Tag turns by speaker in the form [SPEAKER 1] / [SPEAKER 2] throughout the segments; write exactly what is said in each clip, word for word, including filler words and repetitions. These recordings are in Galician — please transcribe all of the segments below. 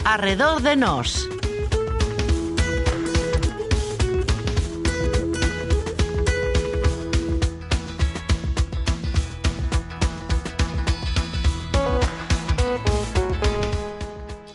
[SPEAKER 1] Arredor de nós.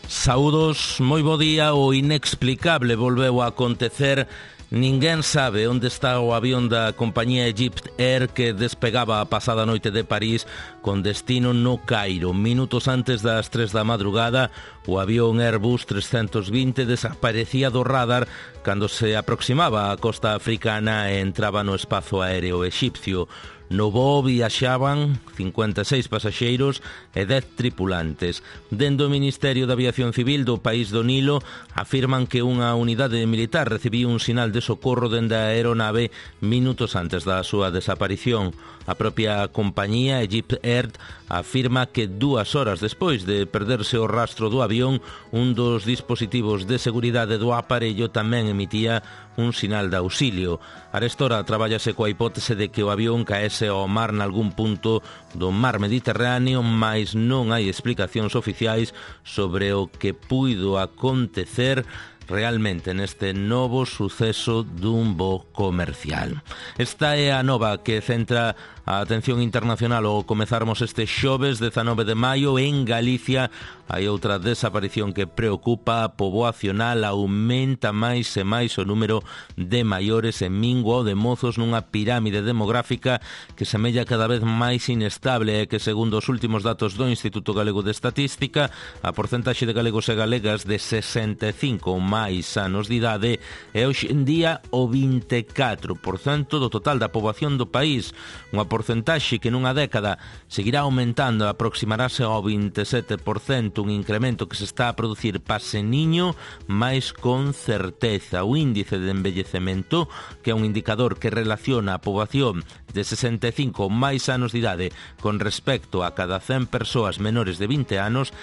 [SPEAKER 2] Saúdos, moi bo día. O inexplicable volveu a acontecer. Ninguén sabe onde está o avión da compañía Egypt Air que despegaba a pasada noite de París con destino no Cairo. Minutos antes das tres da madrugada, o avión Airbus trescentos vinte desaparecía do radar cando se aproximaba á costa africana e entraba no espazo aéreo exipcio. No voo viaxaban cincuenta e seis pasaxeiros e dez tripulantes. Dende o Ministerio de Aviación Civil do país do Nilo afirman que unha unidade militar recibiu un sinal de socorro dende a aeronave minutos antes da súa desaparición. A propia compañía Egypt Air afirma que dúas horas despois de perderse o rastro do avión, un dos dispositivos de seguridade do aparello tamén emitía un sinal de auxilio. Arestora trabállase coa hipótese de que o avión caese ao mar nalgún punto do mar Mediterráneo, mais non hai explicacións oficiais sobre o que puido acontecer realmente neste novo suceso dun voo comercial. Esta é a nova que centra a atención internacional ao comezarmos este xoves dezanove de maio. En Galicia hai outra desaparición que preocupa a poboacional. Aumenta máis e máis o número de maiores e mingua o de mozos nunha pirámide demográfica que semella cada vez máis inestable e que, segundo os últimos datos do Instituto Galego de Estatística, a porcentaxe de galegos e galegas de sesenta e cinco ou máis anos de idade é hoxe en día o vinte e catro por cento do total da poboación do país, unha porcentaxe que nunha década seguirá aumentando, aproximarase ao vinte e sete por cento, un incremento que se está a producir pase niño, máis con certeza. O índice de envellecemento, que é un indicador que relaciona a poboación de sesenta e cinco ou máis anos de idade con respecto a cada cen persoas menores de vinte anos,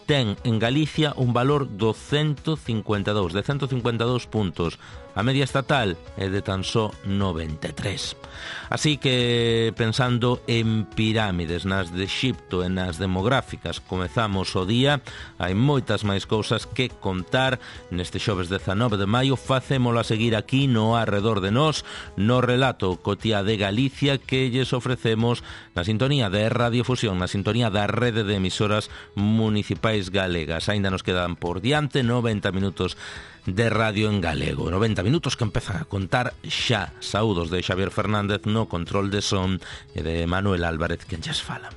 [SPEAKER 2] ten en Galicia un valor do ciento cincuenta e dous, de ciento cincuenta e dous puntos. A media estatal é de tan só noventa e tres. Así que, pensando en pirámides, nas de Exipto e nas demográficas, comezamos o día. Hai moitas máis cousas que contar neste xoves dezanove de maio. Facémolo a seguir aquí no Arredor de Nós, no relato Cotía de Galicia que lles ofrecemos na sintonía de Radio Fusión, na sintonía da rede de emisoras municipais galegas. Aínda nos quedan por diante noventa minutos de radio en galego, noventa minutos que empezan a contar xa. Saúdos de Xavier Fernández no control de son e de Manuel Álvarez quen lles fala.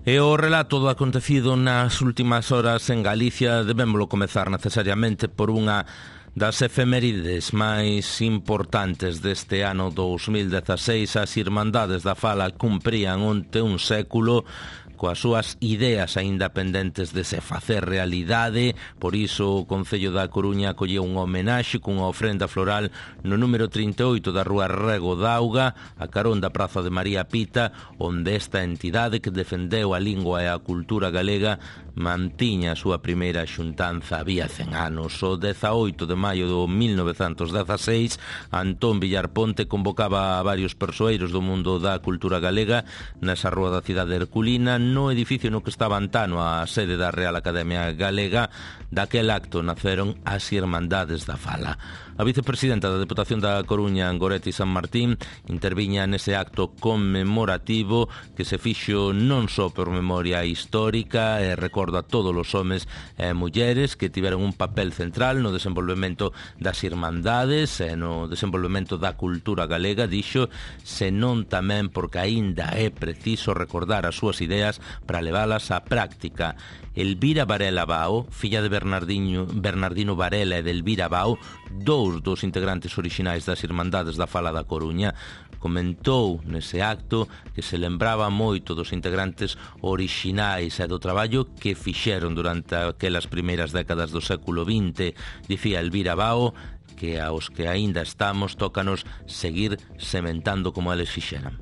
[SPEAKER 2] E o relato do acontecido nas últimas horas en Galicia debémolo comezar necesariamente por unha das efemérides máis importantes deste ano dous mil dezaseis. As Irmandades da Fala cumprían onte un século coas súas ideas aínda pendentes de se facer realidade. Por iso o Concello da Coruña acolleu unha homenaxe cunha ofrenda floral no número trinta e oito da rúa Rego d'Auga, a carón da Praza de María Pita, onde esta entidade que defendeu a lingua e a cultura galega mantiña a súa primeira xuntanza había cen anos. O dezaoito de maio do mil novecentos dezaseis, Antón Villar Ponte convocaba a varios persoeiros do mundo da cultura galega nesa rúa da cidade herculina, no edificio no que estaba antano a sede da Real Academia Galega. Daquel acto naceron as Irmandades da Fala. A vicepresidenta da Deputación da Coruña, Goretti San Martín, interviña nese acto conmemorativo que se fixo non só por memoria histórica e recorda a todos os homes e mulleres que tiveron un papel central no desenvolvemento das Irmandades e no desenvolvemento da cultura galega, dixo, senón tamén porque aínda é preciso recordar as súas ideas para leválas á práctica. Elvira Varela Bao, filla de Bernardino, Bernardino Varela e de Elvira Bao, dous dos integrantes orixinais das Irmandades da Fala da Coruña, comentou nese acto que se lembraba moito dos integrantes orixinais e do traballo que fixeron durante aquelas primeiras décadas do século vinte. Dicía Elvira Bao que aos que aínda estamos tócanos seguir sementando como eles fixeran.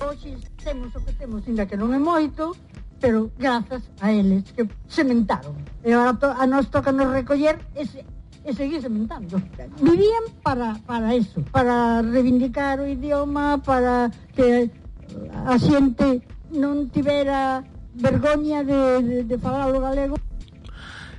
[SPEAKER 3] Hoxe temos o que temos, ainda que non é moito,
[SPEAKER 1] pero grazas a eles que sementaron. E agora to, a nós toca nos recoller ese, e seguir sementando. Vivían para, para eso, para reivindicar o idioma, para que a xente non tivera vergoña de, de, de falar o galego.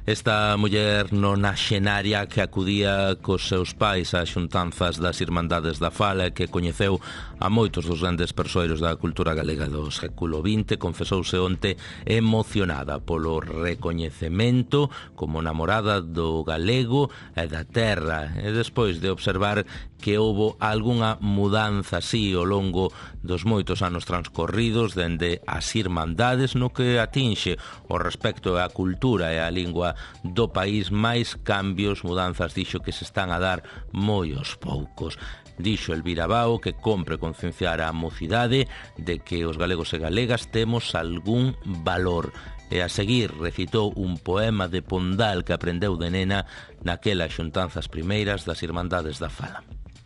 [SPEAKER 2] Esta muller nonaxenaria que acudía cos seus pais ás xuntanzas das Irmandades da Fala e que coñeceu a moitos dos grandes persoeiros da cultura galega do século vinte, confesouse onte emocionada polo recoñecemento como namorada do galego e da terra, e despois de observar que houbo algunha mudanza así ao longo dos moitos anos transcorridos dende as Irmandades no que atinxe o respecto á cultura e á lingua do país, máis cambios, mudanzas, dixo que se están a dar moi aos poucos. Dixo Elvira Bao que compre concienciar a mocidade de que os galegos e galegas temos algún valor. E a seguir recitou un poema de Pondal que aprendeu de nena naquelas xuntanzas primeiras das Irmandades da Fala.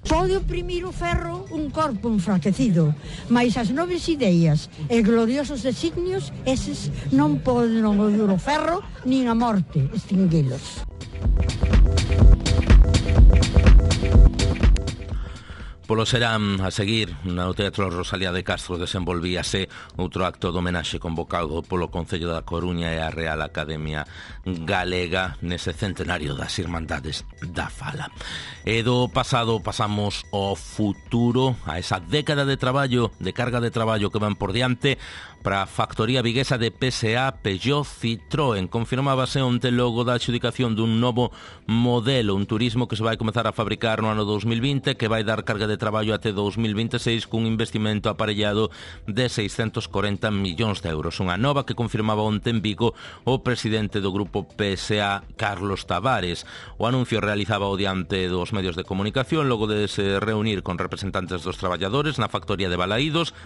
[SPEAKER 1] Pode oprimir o ferro un corpo enfraquecido, mas as nobres ideas e gloriosos designios, eses non poden oír o ferro nin a morte extinguilos.
[SPEAKER 2] Polo serán a seguir no Teatro Rosalía de Castro desenvolvíase outro acto de homenaxe convocado polo Concello da Coruña e a Real Academia Galega nese centenario das Irmandades da Fala. E do pasado pasamos ao futuro, a esa década de traballo, de carga de traballo que van por diante para a factoría viguesa de P S A Peugeot Citroën. Confirmábase onte logo da adxudicación dun novo modelo, un turismo que se vai comezar a fabricar no ano dos mil vinte, que vai dar carga de traballo até dos mil veintiséis cun investimento aparellado de seiscentos corenta millóns de euros. Unha nova que confirmaba onte en Vigo o presidente do grupo P S A, Carlos Tavares. O anuncio realizaba o diante dos medios de comunicación logo de se reunir con representantes dos traballadores na factoría de Balaídos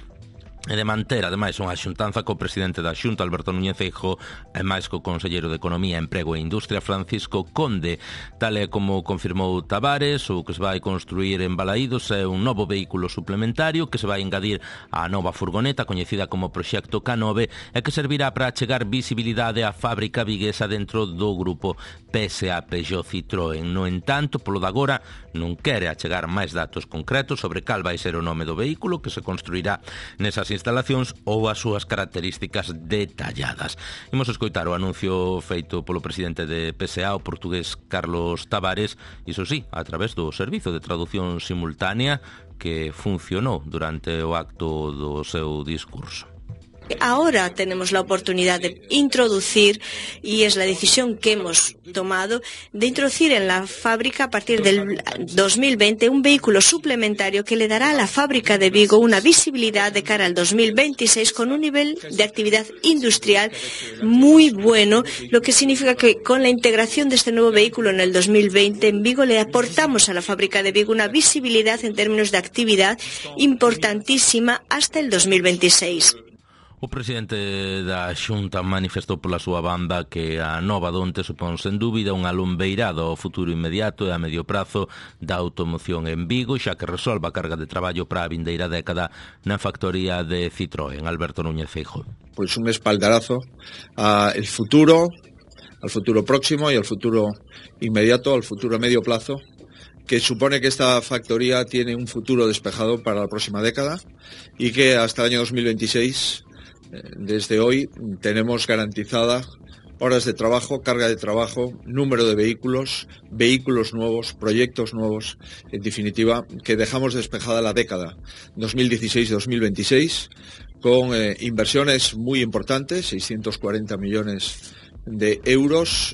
[SPEAKER 2] e de manter, ademais, unha xuntanza co presidente da Xunta, Alberto Núñez Feijóo, e máis co conselleiro de Economía, Emprego e Industria, Francisco Conde. Tal e como confirmou Tavares, o que se vai construir en Balaídos é un novo vehículo suplementario que se vai engadir á nova furgoneta, coñecida como Proxecto K nove, e que servirá para achegar visibilidade á fábrica viguesa dentro do grupo P S A Peugeot Citroën. No entanto, polo de agora, non quere achegar máis datos concretos sobre cal vai ser o nome do vehículo que se construirá nesas instalacións ou as súas características detalladas. Imos escoitar o anuncio feito polo presidente de P S A, o portugués Carlos Tavares, iso sí, a través do servizo de traducción simultánea que funcionou durante o acto do seu discurso.
[SPEAKER 3] Ahora tenemos la oportunidad de introducir, y es la decisión que hemos tomado, de introducir en la fábrica a partir del dos mil veinte un vehículo suplementario que le dará a la fábrica de Vigo una visibilidad de cara al dos mil veintiséis con un nivel de actividad industrial muy bueno, lo que significa que con la integración de este nuevo vehículo en el dos mil veinte en Vigo le aportamos a la fábrica de Vigo una visibilidad en términos de actividad importantísima hasta el dos mil veintiséis.
[SPEAKER 2] O presidente da Xunta manifestou pola súa banda que a nova donte supón sen dúbida unha lumbeirada ao futuro inmediato e a medio prazo da automoción en Vigo, xa que resolva a carga de traballo para a vindeira década na factoría de Citroën. Alberto Núñez Feijóo.
[SPEAKER 4] Pues un espaldarazo al futuro, al futuro próximo y al futuro inmediato, al futuro a medio plazo, que supone que esta factoría tiene un futuro despejado para la próxima década y que hasta el año dos mil veintiséis, desde hoy, tenemos garantizada horas de trabajo, carga de trabajo, número de vehículos, vehículos nuevos, proyectos nuevos, en definitiva, que dejamos despejada la década dos mil dieciséis dos mil veintiséis con eh, inversiones muy importantes, seiscientos cuarenta millones de euros.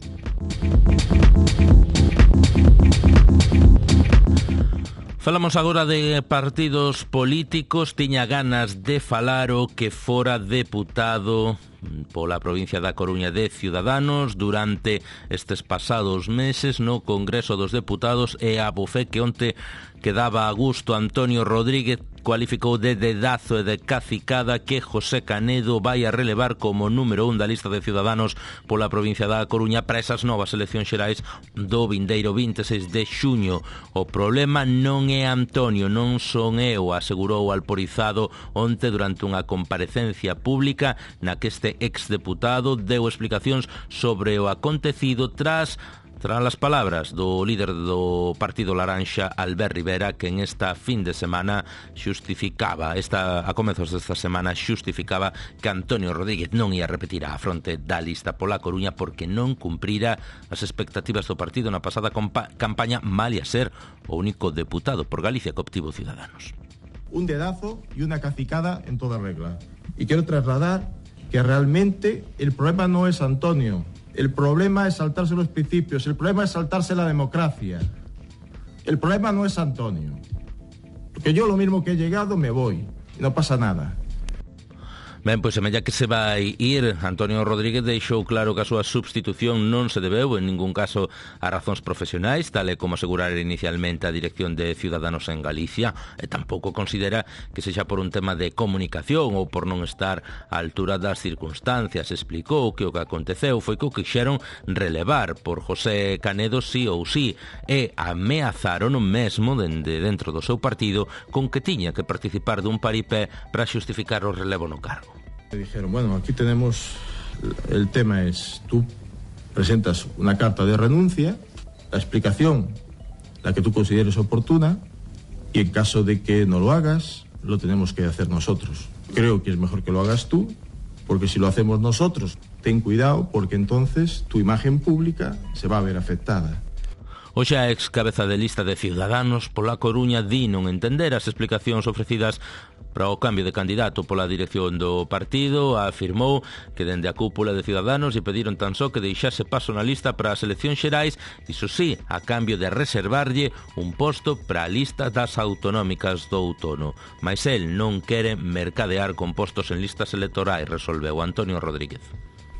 [SPEAKER 2] Falamos agora de partidos políticos. Tiña ganas de falar o que fora deputado pola provincia da Coruña de Ciudadanos durante estes pasados meses no Congreso dos Deputados, e a bufé que onte que daba a gusto Antonio Rodríguez, cualificou de dedazo e de cacicada que José Canedo vai a relevar como número un da lista de Ciudadanos pola provincia da Coruña para esas novas eleccións xerais do vindeiro vinte e seis de xuño. O problema non é Antonio, non son eu, asegurou Alporizado onte durante unha comparecencia pública na que este exdeputado deu explicacións sobre o acontecido tras Tras as palabras do líder do Partido Laranxa, Albert Rivera, que en esta fin de semana xustificaba, esta, a comezos desta semana, xustificaba que Antonio Rodríguez non ia repetir a fronte da lista pola Coruña porque non cumprira as expectativas do partido na pasada campaña, mal ia ser o único deputado por Galicia que obtivo Ciudadanos.
[SPEAKER 5] Un dedazo y una cacicada en toda regla. Y quiero trasladar que realmente el problema no es Antonio. El problema es saltarse los principios, el problema es saltarse la democracia. El problema no es Antonio. Porque yo lo mismo que he llegado me voy y no pasa nada.
[SPEAKER 2] Ben, pois semella que se vai ir. Antonio Rodríguez deixou claro que a súa substitución non se debeu en ningún caso a razóns profesionais, tal e como asegurara inicialmente a dirección de Ciudadanos en Galicia, e tampouco considera que sexa por un tema de comunicación ou por non estar á altura das circunstancias. Explicou que o que aconteceu foi que o quixeron relevar por José Canedo sí ou sí, e ameazaron o mesmo dende dentro do seu partido con que tiña que participar dun paripé para xustificar o relevo no cargo.
[SPEAKER 5] Me dijeron, bueno, aquí tenemos, el tema es, tú presentas una carta de renuncia, la explicación, la que tú consideres oportuna, y en caso de que no lo hagas, lo tenemos que hacer nosotros. Creo que es mejor que lo hagas tú, porque si lo hacemos nosotros, ten cuidado, porque entonces tu imagen pública se va a ver afectada.
[SPEAKER 2] O xa ex cabeza de lista de Ciudadanos pola Coruña di non entender as explicacións ofrecidas para o cambio de candidato pola dirección do partido. Afirmou que dende a cúpula de Ciudadanos lle pediron tan só que deixase paso na lista para as eleccións xerais, iso sí, a cambio de reservarlle un posto para a lista das autonómicas do outono. Mais el non quere mercadear con postos en listas electorais, resolveu Antonio Rodríguez.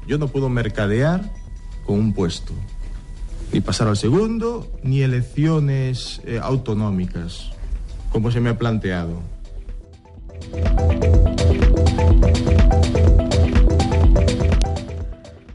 [SPEAKER 5] Yo no puedo mercadear con un puesto, ni pasar al segundo, ni elecciones eh, autonómicas, como se me ha planteado.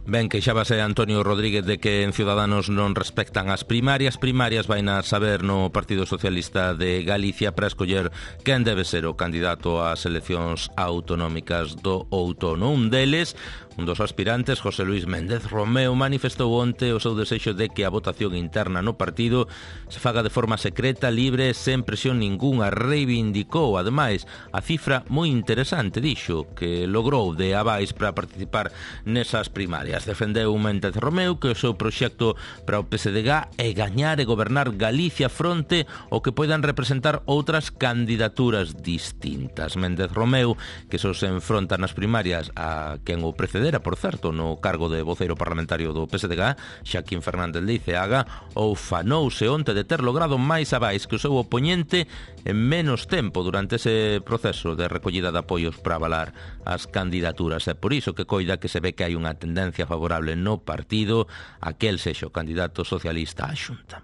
[SPEAKER 2] Ben, queixábase Antonio Rodríguez de que en Ciudadanos non respectan as primarias. Primarias vai a saber no Partido Socialista de Galicia para escoller quen debe ser o candidato ás eleccións autonómicas do outono. Un deles, un dos aspirantes, José Luis Méndez Romeu, manifestou onte o seu desexo de que a votación interna no partido se faga de forma secreta, libre, sen presión ningunha. Reivindicou, ademais, a cifra moi interesante, dixo, que logrou de abais para participar nesas primarias. Defendeu Méndez Romeu que o seu proxecto para o P S D G é gañar e gobernar Galicia fronte ao que poidan representar outras candidaturas distintas. Méndez Romeu, que só se enfronta nas primarias a quen o precedera, por certo, no cargo de voceiro parlamentario do P S D G, Xaquín Fernández de Iceaga, ou fanouse onte de ter logrado máis abais que o seu opoñente en menos tempo durante ese proceso de recollida de apoios para avalar as candidaturas. É por iso que coida que se ve que hai unha tendencia favorable no partido a que el sexa o candidato socialista á Xunta.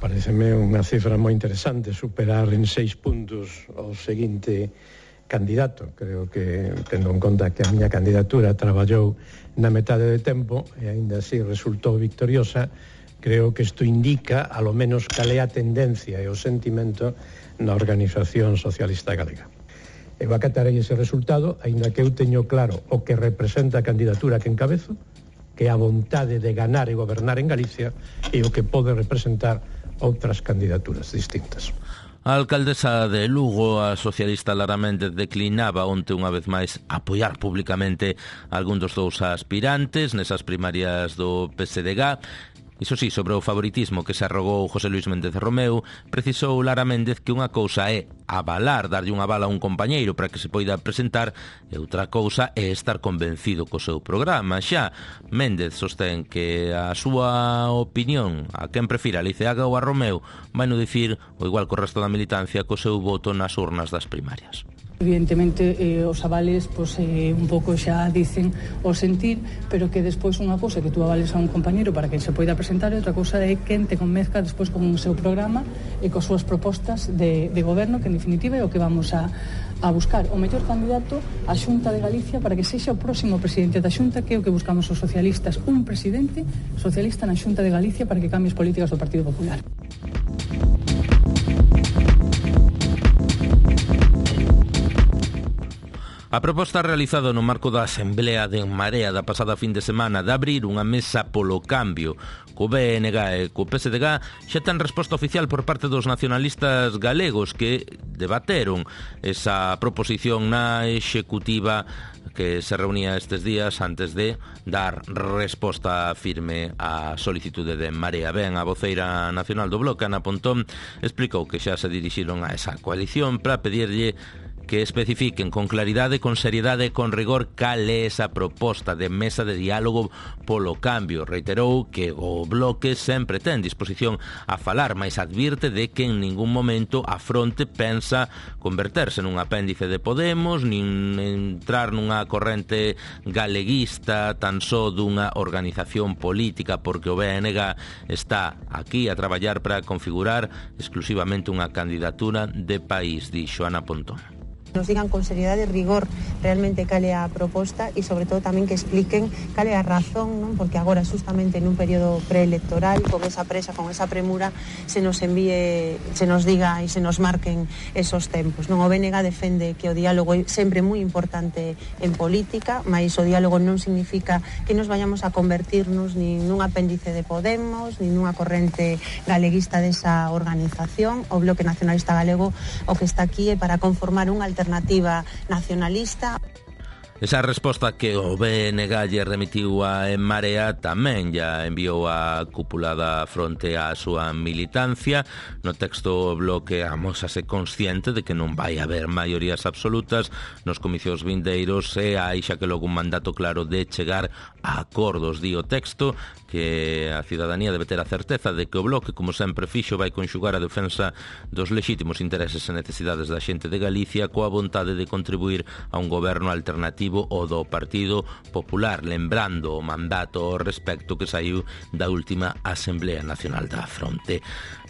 [SPEAKER 6] Pareceme unha cifra moi interesante, superar en seis puntos o seguinte candidato. Creo que, tendo en conta que a miña candidatura traballou na metade de tempo e aínda así resultou victoriosa, creo que isto indica, a lo menos, cal é a tendencia e o sentimento na Organización Socialista Galega. Eu acatarei ese resultado, aínda que eu teño claro o que representa a candidatura que encabezo, que é a vontade de ganar e gobernar en Galicia, e o que pode representar outras candidaturas distintas.
[SPEAKER 2] A alcaldesa de Lugo, a socialista Lara Méndez, declinaba onte unha vez máis apoiar públicamente algún dos dous aspirantes nesas primarias do P S D G. Iso sí, sobre o favoritismo que se arrogou José Luis Méndez Romeu, precisou Lara Méndez que unha cousa é avalar, darlle unha bala a un compañeiro para que se poida presentar, e outra cousa é estar convencido co seu programa. Xa, Méndez sostén que a súa opinión, a quen prefira, a Liceaga ou a Romeu, vai no dicir o igual co resto da militancia co seu voto nas urnas das primarias.
[SPEAKER 7] Evidentemente, eh, os avales pues, eh, un pouco xa dicen o sentir, pero que despois unha cousa que tú avales a un compañeiro para que se poida presentar e outra cousa é quen te convenzca despois con o seu programa e coas súas propostas de, de goberno, que en definitiva é o que vamos a, a buscar o mellor candidato á Xunta de Galicia para que sexa o próximo presidente da Xunta, que é o que buscamos os socialistas, un presidente socialista na Xunta de Galicia para que cambie as políticas do Partido Popular.
[SPEAKER 2] A proposta realizada no marco da Asamblea de En Marea da pasada fin de semana de abrir unha mesa polo cambio co B N G e co P S D G xa ten resposta oficial por parte dos nacionalistas galegos que debateron esa proposición na executiva que se reunía estes días antes de dar resposta firme á solicitude de En Marea. Ben, a voceira nacional do Bloque, Ana Pontón, explicou que xa se dirixiron a esa coalición para pedirlle que especifiquen con claridade, con seriedade e con rigor cal é esa proposta de mesa de diálogo polo cambio. Reiterou que o Bloque sempre ten disposición a falar, mas advirte de que en ningún momento a fronte pensa converterse nun apéndice de Podemos, nin entrar nunha corrente galeguista tan só dunha organización política, porque o B N G está aquí a traballar para configurar exclusivamente unha candidatura de país, dixo Ana Pontón.
[SPEAKER 8] Nos digan con seriedade e rigor realmente cal é a proposta e sobre todo tamén que expliquen cal é a razón, non? Porque agora justamente nun período preelectoral, con esa presa, con esa premura, se nos envíe, se nos diga e se nos marquen esos tempos, non? O B N G defende que o diálogo é sempre moi importante en política, mas o diálogo non significa que nos vayamos a convertirnos nin nun apéndice de Podemos, nin nunha corrente galeguista desa organización. O Bloque Nacionalista Galego o que está aquí é para conformar un alternativa alternativa nacionalista.
[SPEAKER 2] Esa resposta que o B N G lle remitiu a En Marea tamén ya enviou a cúpula da fronte á súa militancia. No texto o Bloque amósase consciente de que non vai haber maiorías absolutas nos comicios vindeiros e hai xa que logo un mandato claro de chegar a acordos. Di o texto que a cidadanía debe ter a certeza de que o Bloque, como sempre fixo, vai conxugar a defensa dos lexítimos intereses e necesidades da xente de Galicia coa vontade de contribuir a un goberno alternativo o do Partido Popular, lembrando o mandato ao respecto que saiu da última Asamblea Nacional da Fronte.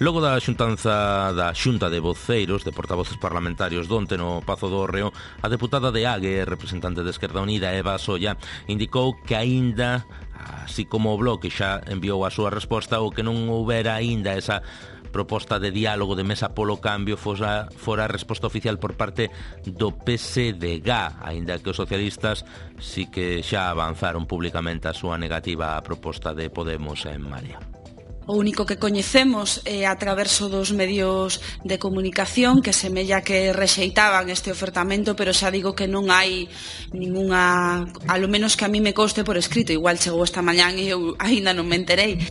[SPEAKER 2] Logo da xuntanza da Xunta de Voceiros, de portavoces parlamentarios donte no Pazo do Hórreo, a deputada de Ague, representante de Esquerda Unida, Eva Solla, indicou que aínda, así como o Bloque xa enviou a súa resposta, o que non houbera aínda esa proposta de diálogo de mesa polo cambio fora, fora a resposta oficial por parte do P S D G, aínda que os socialistas sí que xa avanzaron públicamente a súa negativa á proposta de Podemos En Marea.
[SPEAKER 9] O único que coñecemos é a traverso dos medios de comunicación que semella que rexeitaban este ofertamento, pero xa digo que non hai ningunha, a lo menos que a mí me conste por escrito, igual chegou esta mañán e eu aínda non me enterei.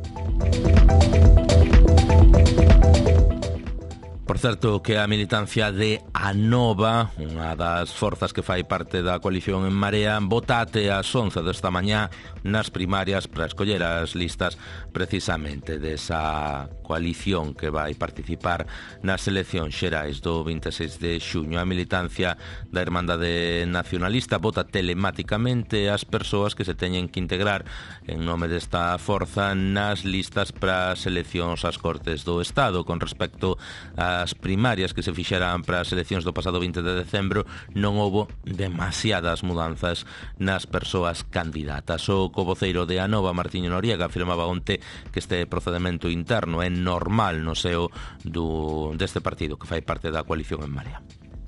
[SPEAKER 2] Por certo, que a militancia de Anova, unha das forzas que fai parte da coalición En Marea, vota até as once desta mañá nas primarias para escoller as listas precisamente desa coalición que vai participar nas eleccións xerais do vinte e seis de xuño. A militancia da Irmandade Nacionalista vota telemáticamente as persoas que se teñen que integrar en nome desta forza nas listas para as eleccións ás Cortes do Estado. Con respecto ás primarias que se fixeran para as eleccións do pasado vinte de decembro, non houbo demasiadas mudanzas nas persoas candidatas. O covoceiro de Anova, Martiño Noriega, afirmaba onte que este procedimento interno é normal no seo do, deste partido que fai parte da coalición En Marea.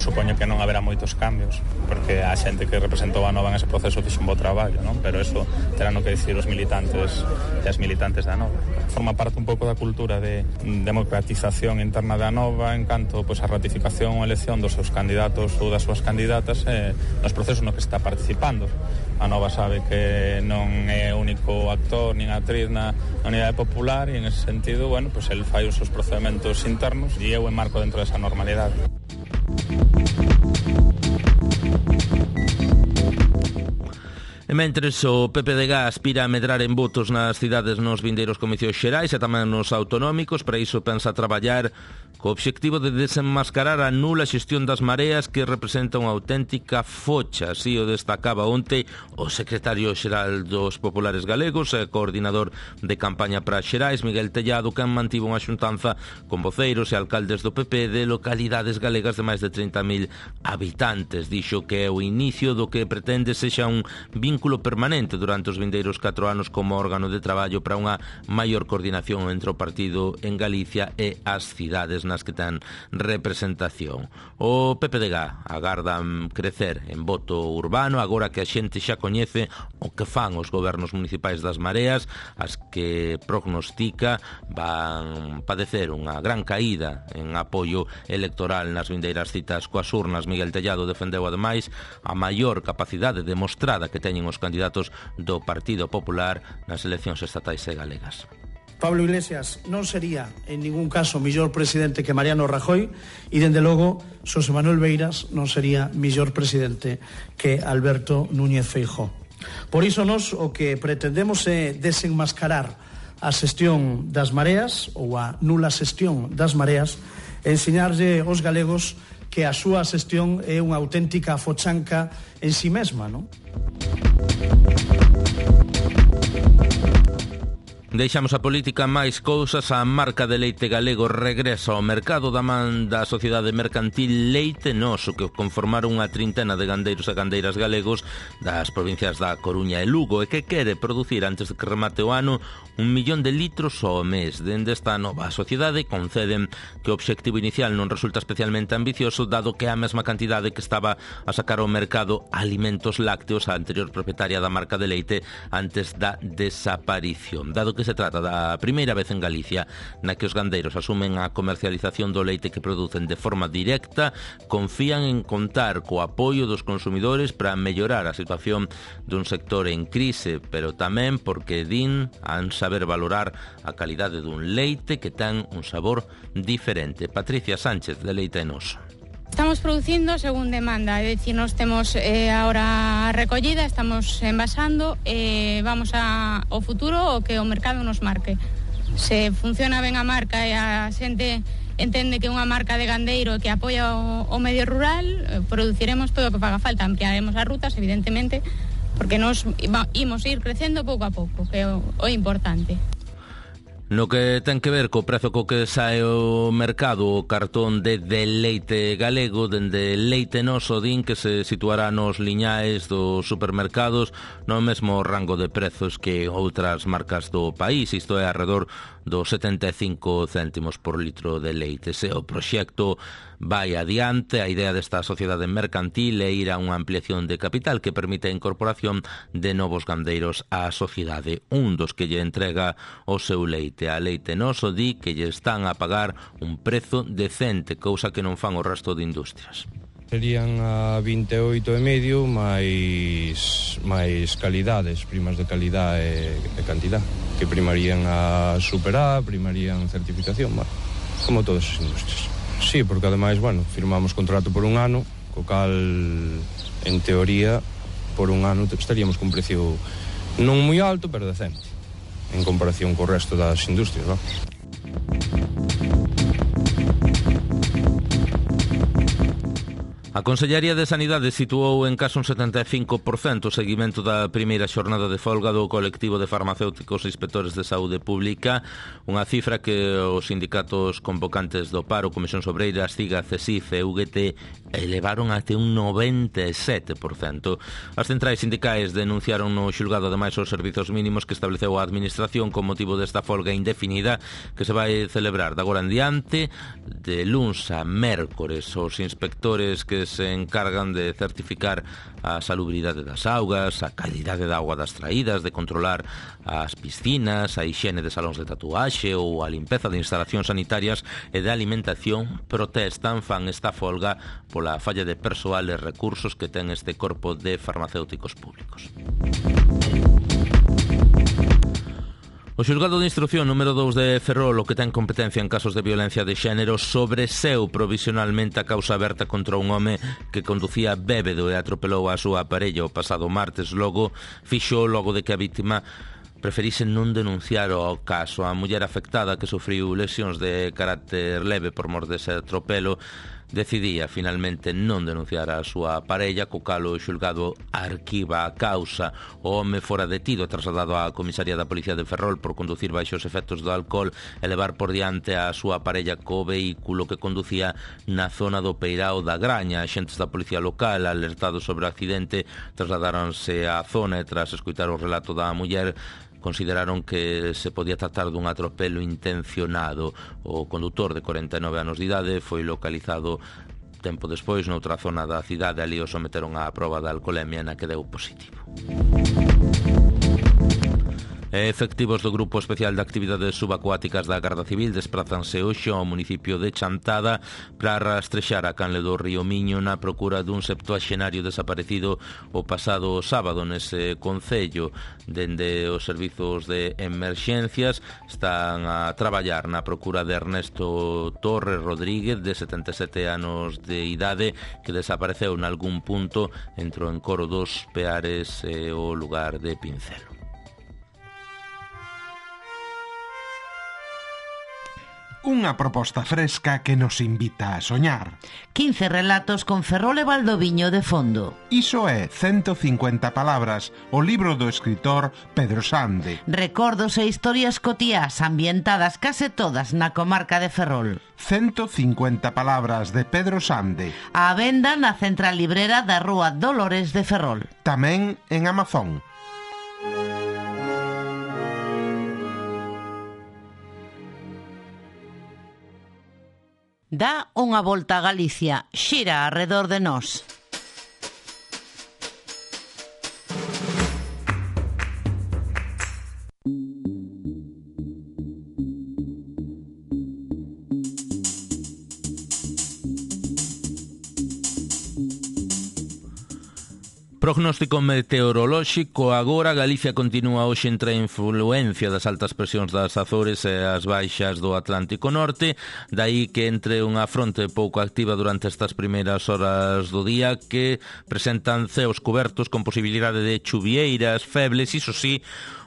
[SPEAKER 10] Supoño que non haberá moitos cambios, porque a xente que representou a Nova en ese proceso fixe un bo traballo, non? Pero eso terán no que dicir os militantes e as militantes da Nova. Forma parte un pouco da cultura de democratización interna da Nova en canto pois, a ratificación ou elección dos seus candidatos ou das súas candidatas eh, nos procesos no que está participando. A Nova sabe que non é o único actor nin actriz na Unidade Popular e en ese sentido, bueno, pois el fai os seus procedementos internos e eu enmarco dentro desa normalidade.
[SPEAKER 2] E mentres o P P D G aspira a medrar en votos nas cidades nos vindeiros comicios xerais e tamén nos autonómicos, para iso pensa traballar co obxectivo de desenmascarar a nula xestión das mareas que representa unha auténtica focha. Así o destacaba onte o secretario xeral dos Populares Galegos e coordinador de campaña para Xerais, Miguel Tellado, que mantivo unha xuntanza con voceiros e alcaldes do P P de localidades galegas de máis de trinta mil habitantes. Dixo que é o inicio do que pretende sexa un vínculo permanente durante os vindeiros catro anos como órgano de traballo para unha maior coordinación entre o partido en Galicia e as cidades nas que ten representación. O P P D G agarda crecer en voto urbano agora que a xente xa coñece o que fan os gobernos municipais das mareas, as que prognostica van padecer unha gran caída en apoio electoral nas vindeiras citas coas urnas. Miguel Tellado defendeu ademais a maior capacidade demostrada que teñen os candidatos do Partido Popular nas eleccións estatais e galegas.
[SPEAKER 11] Pablo Iglesias non sería en ningún caso mellor presidente que Mariano Rajoy e, dende logo, Xosé Manuel Beiras non sería mellor presidente que Alberto Núñez Feijóo. Por iso nos o que pretendemos é desenmascarar a xestión das mareas ou a nula xestión das mareas e enseñarlle aos galegos que a súa xestión é unha auténtica fochanca en si mesma, non?
[SPEAKER 2] Deixamos a política máis cousas. A marca de leite galego regresa ao mercado da man da Sociedade Mercantil Leite Noso, que conformaron unha trintena de gandeiros e gandeiras galegos das provincias da Coruña e Lugo e que quere producir antes de que remate o ano un millón de litros ao mes. Dende esta nova sociedade conceden que o obxectivo inicial non resulta especialmente ambicioso, dado que a mesma cantidade que estaba a sacar ao mercado Alimentos Lácteos, a anterior propietaria da marca de leite, antes da desaparición. Dado que se trata da primeira vez en Galicia na que os gandeiros asumen a comercialización do leite que producen de forma directa, confían en contar co apoio dos consumidores para mellorar a situación dun sector en crise, pero tamén porque din han saber valorar a calidade dun leite que ten un sabor diferente. Patricia Sánchez, de Leite Noso.
[SPEAKER 12] Estamos producindo según demanda, é dicir, nos temos eh, ahora a recollida, estamos envasando e eh, vamos a, ao futuro o que o mercado nos marque. Se funciona ben a marca e a xente entende que é unha marca de gandeiro que apoia o, o medio rural, eh, produciremos todo o que faga falta, ampliaremos as rutas, evidentemente, porque nos imos ir crecendo pouco a pouco, que é o, o importante.
[SPEAKER 2] No que ten que ver co prezo co que sae o mercado o cartón de, de leite galego, dende Leite Noso din que se situará nos liñais dos supermercados no mesmo rango de prezos que outras marcas do país, isto é alrededor dos setenta e cinco céntimos por litro de leite. Se o proxecto vai adiante, a idea desta sociedade mercantil é ir a unha ampliación de capital que permite a incorporación de novos gandeiros á sociedade. Un dos que lle entrega o seu leite a Leite Noso di que lle están a pagar un prezo decente, cousa que non fan o resto de industrias.
[SPEAKER 13] Serían a vinte e oito e medio máis máis calidades, primas de calidade e, e cantidad, que primarían a superar, primarían certificación, bueno, como todas as industrias. Sí, porque ademais, bueno, firmamos contrato por un ano, co cal, en teoría, por un ano estaríamos cun precio non moi alto, pero decente, en comparación co resto das industrias, ¿no?
[SPEAKER 2] A Consellería de Sanidade situou en case un setenta e cinco por cento o seguimento da primeira xornada de folga do colectivo de farmacéuticos e inspectores de saúde pública, unha cifra que os sindicatos convocantes do paro, Comisión Obreira, CIGA, CESIF e U G T elevaron até un noventa e sete por cento. As centrais sindicais denunciaron no xulgado ademais os servizos mínimos que estableceu a Administración con motivo desta folga indefinida que se vai celebrar de agora en diante, de luns a mércores. Os inspectores que se encargan de certificar a salubridade das augas, a calidade da auga das traídas, de controlar as piscinas, a hixiene de salóns de tatuaxe ou a limpeza de instalacións sanitarias e de alimentación, protestan, fan esta folga pola falla de persoal e recursos que ten este corpo de farmacéuticos públicos. O xulgado de instrucción número dous de Ferrol, o que ten competencia en casos de violencia de xénero, sobreseu provisionalmente a causa aberta contra un home que conducía bébedo e atropelou a súa parella o pasado martes. Logo fixo logo de que a vítima preferise non denunciar o caso. A muller afectada, que sufriu lesións de carácter leve por mor dese atropelo, decidía finalmente non denunciar a súa parella, co cal o xulgado arquiva a causa. O home fora detido e trasladado á comisaría da Policía de Ferrol por conducir baixo os efectos do alcohol e levar por diante a súa parella co vehículo que conducía na zona do Peirao da Graña. Axentes da Policía Local, alertados sobre o accidente, trasladáronse á zona e tras escoitar o relato da muller, consideraron que se podía tratar dun atropelo intencionado. O condutor de corenta e nove anos de idade foi localizado tempo despois noutra zona da cidade. Ali o someteron á proba da alcolemia, na que deu positivo. Efectivos do Grupo Especial de Actividades Subacuáticas da Garda Civil desprázanse hoxe ao municipio de Chantada para rastrexar a canle do río Miño na procura dun septuaxenario desaparecido o pasado sábado nese concello. Dende os servizos de emerxencias están a traballar na procura de Ernesto Torres Rodríguez, de setenta e sete anos de idade, que desapareceu nalgún punto entre o encoro dos Peares e o lugar de Pincelo.
[SPEAKER 14] Unha proposta fresca que nos invita a soñar.
[SPEAKER 15] quince relatos con Ferrol e Valdoviño de fondo.
[SPEAKER 14] Iso é ciento cincuenta palabras, o libro do escritor Pedro Sande.
[SPEAKER 15] Recordos e historias cotiás ambientadas case todas na comarca de Ferrol.
[SPEAKER 14] ciento cincuenta palabras de Pedro Sande.
[SPEAKER 15] A venda na central librera da Rúa Dolores de Ferrol.
[SPEAKER 14] Tamén en Amazon.
[SPEAKER 15] Dá unha volta a Galicia, xira arredor de nós.
[SPEAKER 2] Prognóstico meteorolóxico. Agora Galicia continúa hoxe entre a influencia das altas presións das Azores e as baixas do Atlántico Norte, dai que entre unha fronte pouco activa durante estas primeiras horas do día que presentan ceos cobertos con posibilidade de chuvieiras febles. Iso sí,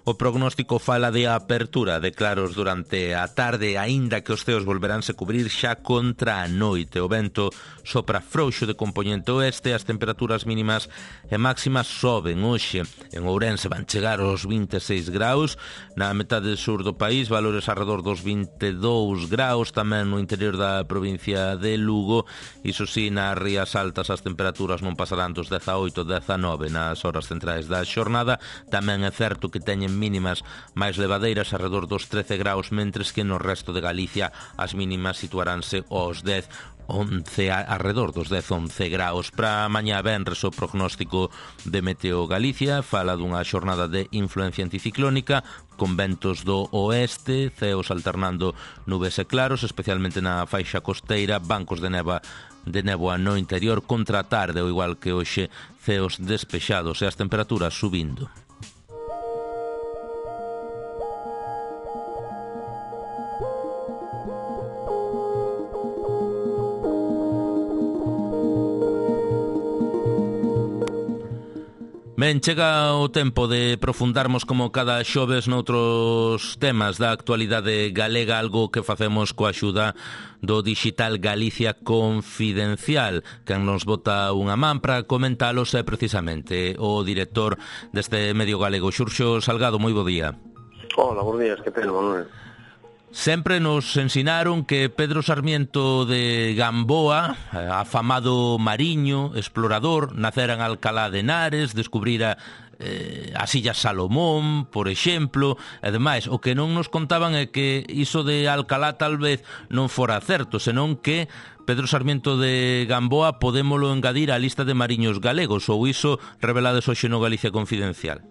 [SPEAKER 2] o prognóstico fala de apertura de claros durante a tarde, aínda que os ceos volveránse cubrir xa contra a noite. O vento sopra frouxo de compoñente oeste, as temperaturas mínimas e máximas soben hoxe. En Ourense van chegar aos vinte e seis graus, na metade sur do país valores arredor dos vinte e dous graus, tamén no interior da provincia de Lugo. Iso sí, nas rías altas as temperaturas non pasarán dos dezaoito a dezanove nas horas centrais da xornada. Tamén é certo que teñen mínimas máis levadeiras arredor dos trece graus, mentres que no resto de Galicia as mínimas situaránse aos dez, once, arredor dos dez, once graus. Para mañá venres o prognóstico de Meteo Galicia fala dunha xornada de influencia anticiclónica con ventos do oeste, ceos alternando nubes e claros, especialmente na faixa costeira, bancos de neva de néboa no interior. Contra a tarde, ao igual que hoxe, ceos despexados e as temperaturas subindo. Ben, chega o tempo de profundarmos como cada xoves noutros temas da actualidade galega, algo que facemos coa axuda do digital Galicia Confidencial. Quen nos bota unha man para comentalos é precisamente o director deste medio galego, Xurxo Salgado. Moi bo día.
[SPEAKER 16] Hola, bons días, que tal, Manuel?
[SPEAKER 2] Sempre nos ensinaron que Pedro Sarmiento de Gamboa, afamado mariño, explorador, nacera en Alcalá de Henares, descubrira eh, as Illas Salomón, por exemplo, e demais. O que non nos contaban é que iso de Alcalá tal vez non fora certo, senón que Pedro Sarmiento de Gamboa podémolo engadir á lista de mariños galegos, ou iso revelades hoxe no Galicia Confidencial.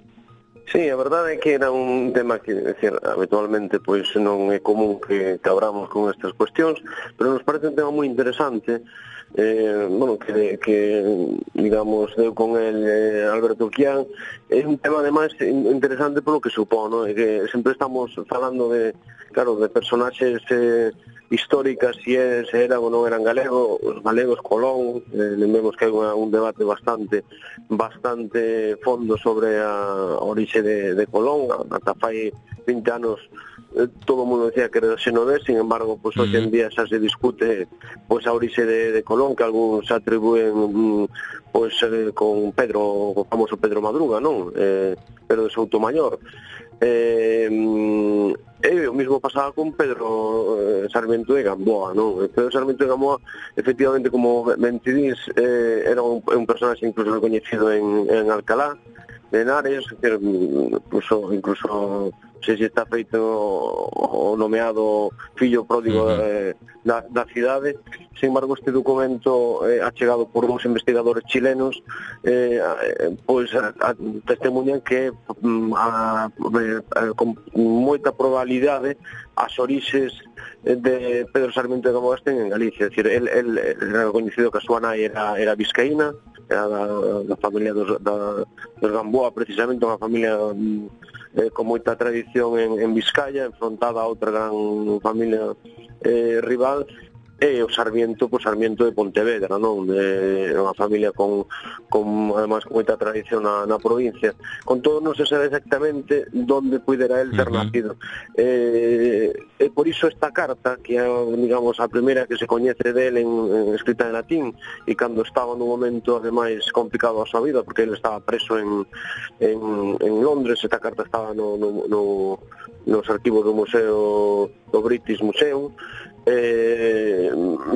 [SPEAKER 16] Sí, a verdade é que era un tema que, decir, habitualmente pois non é común que, que abramos con estas cuestións, pero nos parece un tema moi interesante, eh, bueno, que, que digamos, deu con el eh, Alberto Quián. É un tema ademais interesante polo que supón, ¿no? É que sempre estamos falando de, claro, de personaxes eh, históricas se, é, se eran ou non eran galegos, os galegos Colón, eh, lembremos que hai unha, un debate bastante bastante fondo sobre a orixe de, de Colón, ata fai vinte anos eh, todo o mundo decía que era xenovés, sin embargo, pues, hoxe en día xa se discute pues, a orixe de, de Colón, que algúns atribúen mm, pues, eh, con Pedro, o famoso Pedro Madruga, non? Eh, Pedro de Soutomayor. Eh, e o mismo pasaba con Pedro eh, Sarmiento de Gamboa, non? Pedro Sarmiento de Gamboa, efectivamente, como ben ti dis, eh, era un, un personaxe incluso reconhecido en, en Alcalá de Henares, incluso, incluso se si está feito o nomeado fillo pródigo uh-huh. eh, da, da cidade. Sin embargo, este documento eh, achegado por uns investigadores chilenos eh, pois a, a, testemunhan que a, a, a, con moita probabilidade as orixes de Pedro Sarmiento de Gamboa estén en Galicia. É dicir, el, el era coñecido que a súa nai era, era vizcaína, era da, da familia dos, da, dos Gamboa, precisamente unha familia eh, con moita tradición en, en Vizcaya, enfrontada a outra gran familia eh, rival, e o Sarmiento, pois Sarmiento de Pontevedra, non? De unha familia con, con además con moita tradición na, na provincia. Con todo non se sabe exactamente onde pudera el ter nacido. Eh, e por iso esta carta, que é, digamos, a primeira que se coñece del en, en escrita en latín, e cando estaba nun momento ademais complicado a súa vida, porque ele estaba preso en, en, en Londres, esta carta estaba no, no, no, nos arquivos do Museo do British Museum. Eh,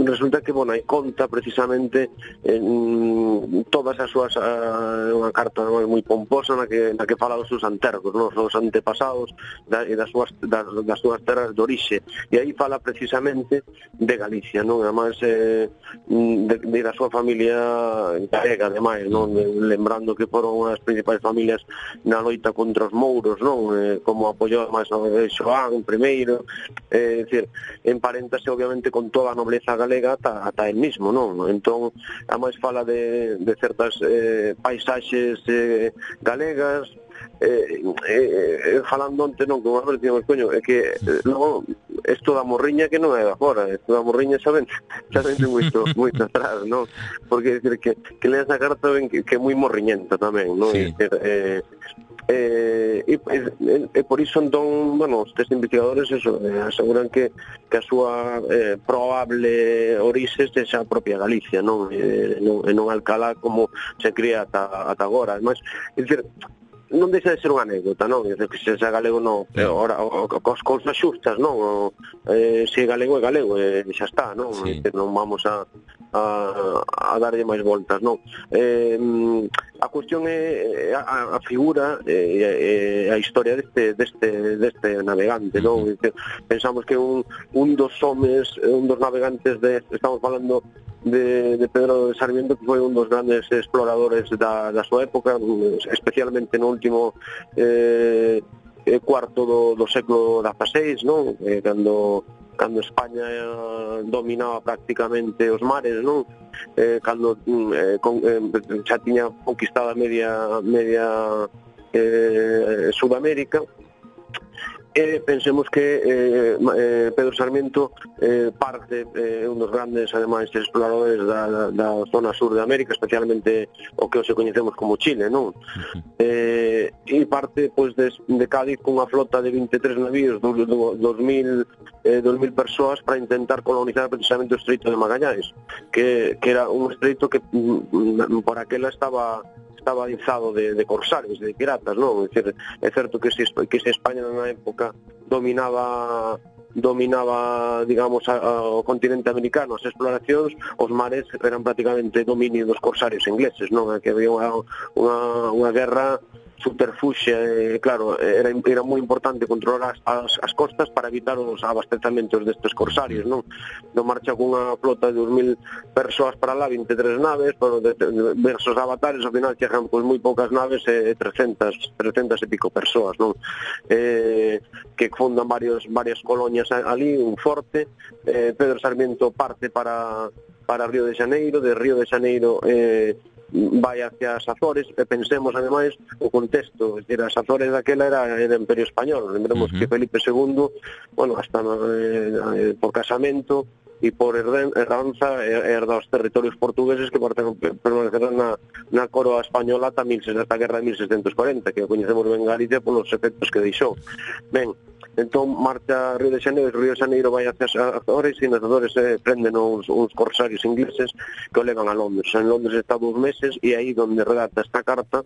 [SPEAKER 16] resulta que, bueno, hai conta precisamente en todas as súas a, unha carta moi pomposa na que, na que fala dos seus antergos, non? Os antepasados da, e das súas, das, das súas terras de orixe, e aí fala precisamente de Galicia, non? Ademais eh, de, de da súa familia galega, ademais, non? Lembrando que foron unhas principais familias na loita contra os mouros, non? Eh, como apoiou máis a Xoán primeiro, eh, é dicir, emparenta obviamente con toda a nobleza galega ata, ata el mismo, non? Entón, a máis fala de, de certas eh, paisaxes eh, galegas, eh, eh, falando onte, non, como a ver, digamos, coño, é que eh, logo, isto da morriña que non é de agora, isto da morriña xa ven, xa ven moito, moito atrás, non? Porque, decir, que, que leas a carta ven que, que é moi morriñenta tamén, non? Sí. Decir, eh, Eh, e, e, e por iso entón, bueno, estes investigadores eso, eh, aseguran que, que a súa eh, probable orixe sexa a propia Galicia, non? E non, non Alcalá como se cría ata, ata agora. Además, é dicir, non deixa de ser unha anécdota, non? Dice que se é galego non, pero ora cos cousas xustas, non? O, eh, se é galego é galego, e xa está, non? Sí. Dice, non vamos a a, a darlle máis voltas, non? Eh, a cuestión é a, a figura e a historia deste deste deste navegante, non? Uh-huh. Dice, pensamos que un un dos homes, un dos navegantes de, estamos falando De, de Pedro de Sarmiento, que foi un dos grandes exploradores da, da súa época, especialmente no último eh, cuarto do, do século dieciséis, non? Eh, cando, cando España eh, dominaba prácticamente os mares, non? Eh, cando eh, con, eh, xa tiña conquistada media, media eh, Sudamérica. E pensemos que eh, eh, Pedro Sarmiento eh, parte eh, un dos grandes, ademais, exploradores da, da, da zona sur de América, especialmente o que hoxe coñecemos como Chile, non? Uh-huh. Eh, e parte, pois, de, de Cádiz cunha flota de vinte e tres navíos, dos, dos mil eh, dos mil persoas para intentar colonizar precisamente o Estreito de Magallanes, que, que era un estreito que mm, por aquela estaba estaba alzado de, de corsarios, de piratas, non? É dicir, é certo que se, que se España na época dominaba dominaba, digamos, a, a, o continente americano, as exploracións, os mares eran prácticamente dominio dos corsarios ingleses, non? Que había unha, unha, unha guerra subterfuxia, eh, claro, era, era moi importante controlar as, as, as costas para evitar os abastecamentos destes corsarios, non? Non marcha cunha flota de dos mil persoas para lá, vinte e tres naves, pero de, de, versus avatares, ao final chegan pois moi poucas naves e trescentas e pico persoas, non? Eh, que fundan varios, varias colonias ali, un forte. eh, Pedro Sarmiento parte para para Río de Xaneiro, de Río de Xaneiro eh, vai hacia as Azores, e pensemos ademais o contexto, es decir, as Azores daquela era o Imperio Español, lembremos uh-huh. que Felipe segundo, bueno, hasta eh, por casamento e por herdanza herda os territorios portugueses que permanecerán na, na coroa española ata esta guerra de mil seiscentos cuarenta, que coñecemos ben Galicia polos efectos que deixou. Ben, entón marcha a Río de Xaneiro, Río de Xaneiro vai hacia as Azores, e nas Azores eh, prenden uns, uns corsarios ingleses que o levan a Londres. En Londres está dous meses, e aí donde redacta esta carta,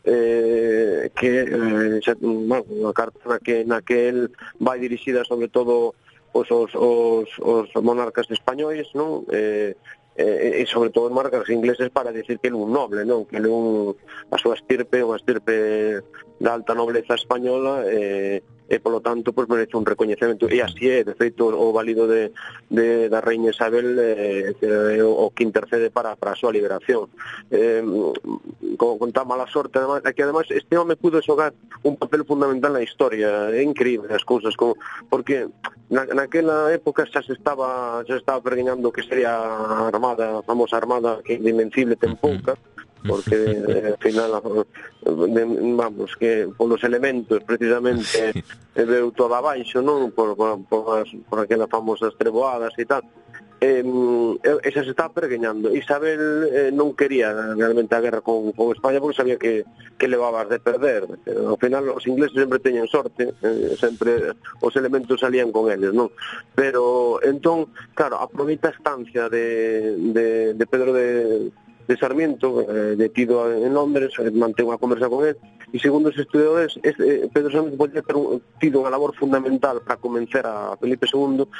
[SPEAKER 16] eh, que eh, xa, bueno, unha carta na que, na que el vai dirixida sobre todo Os, os, os, os monarcas españois, non? Eh, eh, e sobre todo os monarcas ingleses para decir que ele é un noble, non? Que ele é un, a súa estirpe, unha estirpe da alta nobleza española, eh, e polo tanto pois merece un recoñecemento, e así é, de feito o válido de, de da reina Isabel eh, eh, o que intercede para, para a súa liberación. Eh, con, con tan mala sorte, además, que además este home pudo xogar un papel fundamental na historia, é increíble as cousas, como, porque na, naquela época xa se estaba xa se estaba pergueñando que sería a armada, a famosa armada que de Invencible ten pouca, porque eh, al final de, vamos, que polos elementos precisamente eh, veu todo abaixo, non? Por, por, por, as, por aquelas famosas treboadas e tal. Eh, esa se está pergueñando. Isabel eh, non quería realmente a guerra con, con España porque sabía que, que levabas de perder. Eh, ao final os ingleses sempre teñen sorte, eh, sempre os elementos salían con eles, non? Pero entón, claro, aproveita a estancia de, de, de Pedro de de Sarmiento, eh, detido en Londres, eh, mantén unha conversa con él, e segundo os estudiadores, este, eh, Pedro Sarmiento podía ter un, tido unha labor fundamental para convencer a Felipe segundo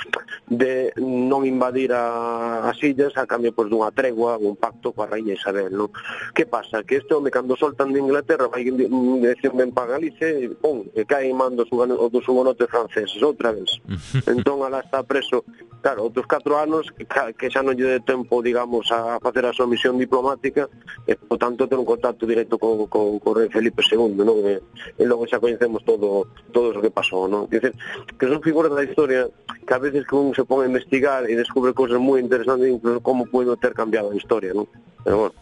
[SPEAKER 16] de non invadir a, as illas a cambio pois, dunha tregua, un pacto coa raíña Isabel, non? Que pasa? Que este home, cando soltan de Inglaterra, vai en dirección ben para Galicia e, pum, e cae en mando dos hugonotes franceses, outra vez. Entón, alá está preso, claro, outros catro anos, que, que xa non lle de tempo, digamos, a facer a súa misión diplomática, diplomática e, por tanto, ter un contacto directo co, co, co rei Felipe segundo, non? E, e logo xa coñecemos todo todo o que pasou, non? Quer dizer, que son figuras da historia que a veces que un se pon a investigar e descubre cosas moi interesantes, incluso como puedo ter cambiado a historia, non? Pero bueno,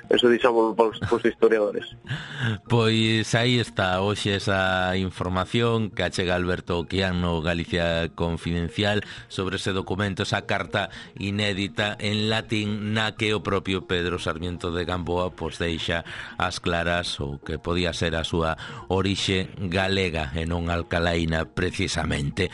[SPEAKER 16] eso dixamos para os historiadores.
[SPEAKER 2] Pois aí está hoxe esa información que achega Alberto Oquián no Galicia Confidencial sobre ese documento, esa carta inédita en latín na que o propio Pedro Sarmiento de Gamboa pois deixa as claras o que podía ser a súa orixe galega e non alcalaína precisamente.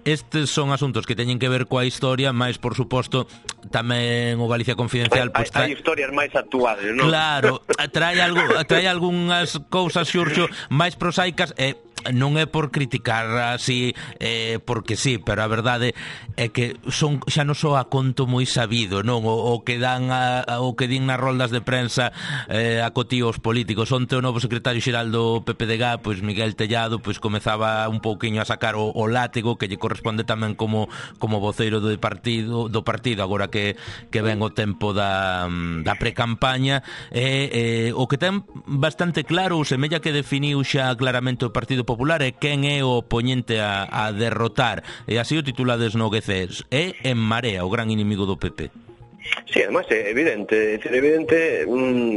[SPEAKER 2] Estes son asuntos que teñen que ver coa historia, máis, por suposto, tamén o Galicia Confidencial...
[SPEAKER 16] Pues, trae... Hai historias máis actuales, non?
[SPEAKER 2] Claro, trae, algo, trae algunhas cousas, Xurxo, máis prosaicas e... non é por criticar así eh, porque sí, pero a verdade é que son xa non só a conto moi sabido, non? O, o que dan a, a, o que din nas roldas de prensa eh, a cotíos políticos. Onte o novo secretario xeral do P P D G, pois Miguel Tellado, pois comezaba un pouquiño a sacar o, o látigo que lle corresponde tamén como como voceiro do partido, do partido agora que, que ven o tempo da, da precampaña e eh, o que ten bastante claro, ou semella que definiu xa claramente o Partido Popular é quen é o oponente a, a derrotar, e así o titulades no G C, é En Marea, o gran inimigo do P P.
[SPEAKER 16] Sí, además é evidente, é evidente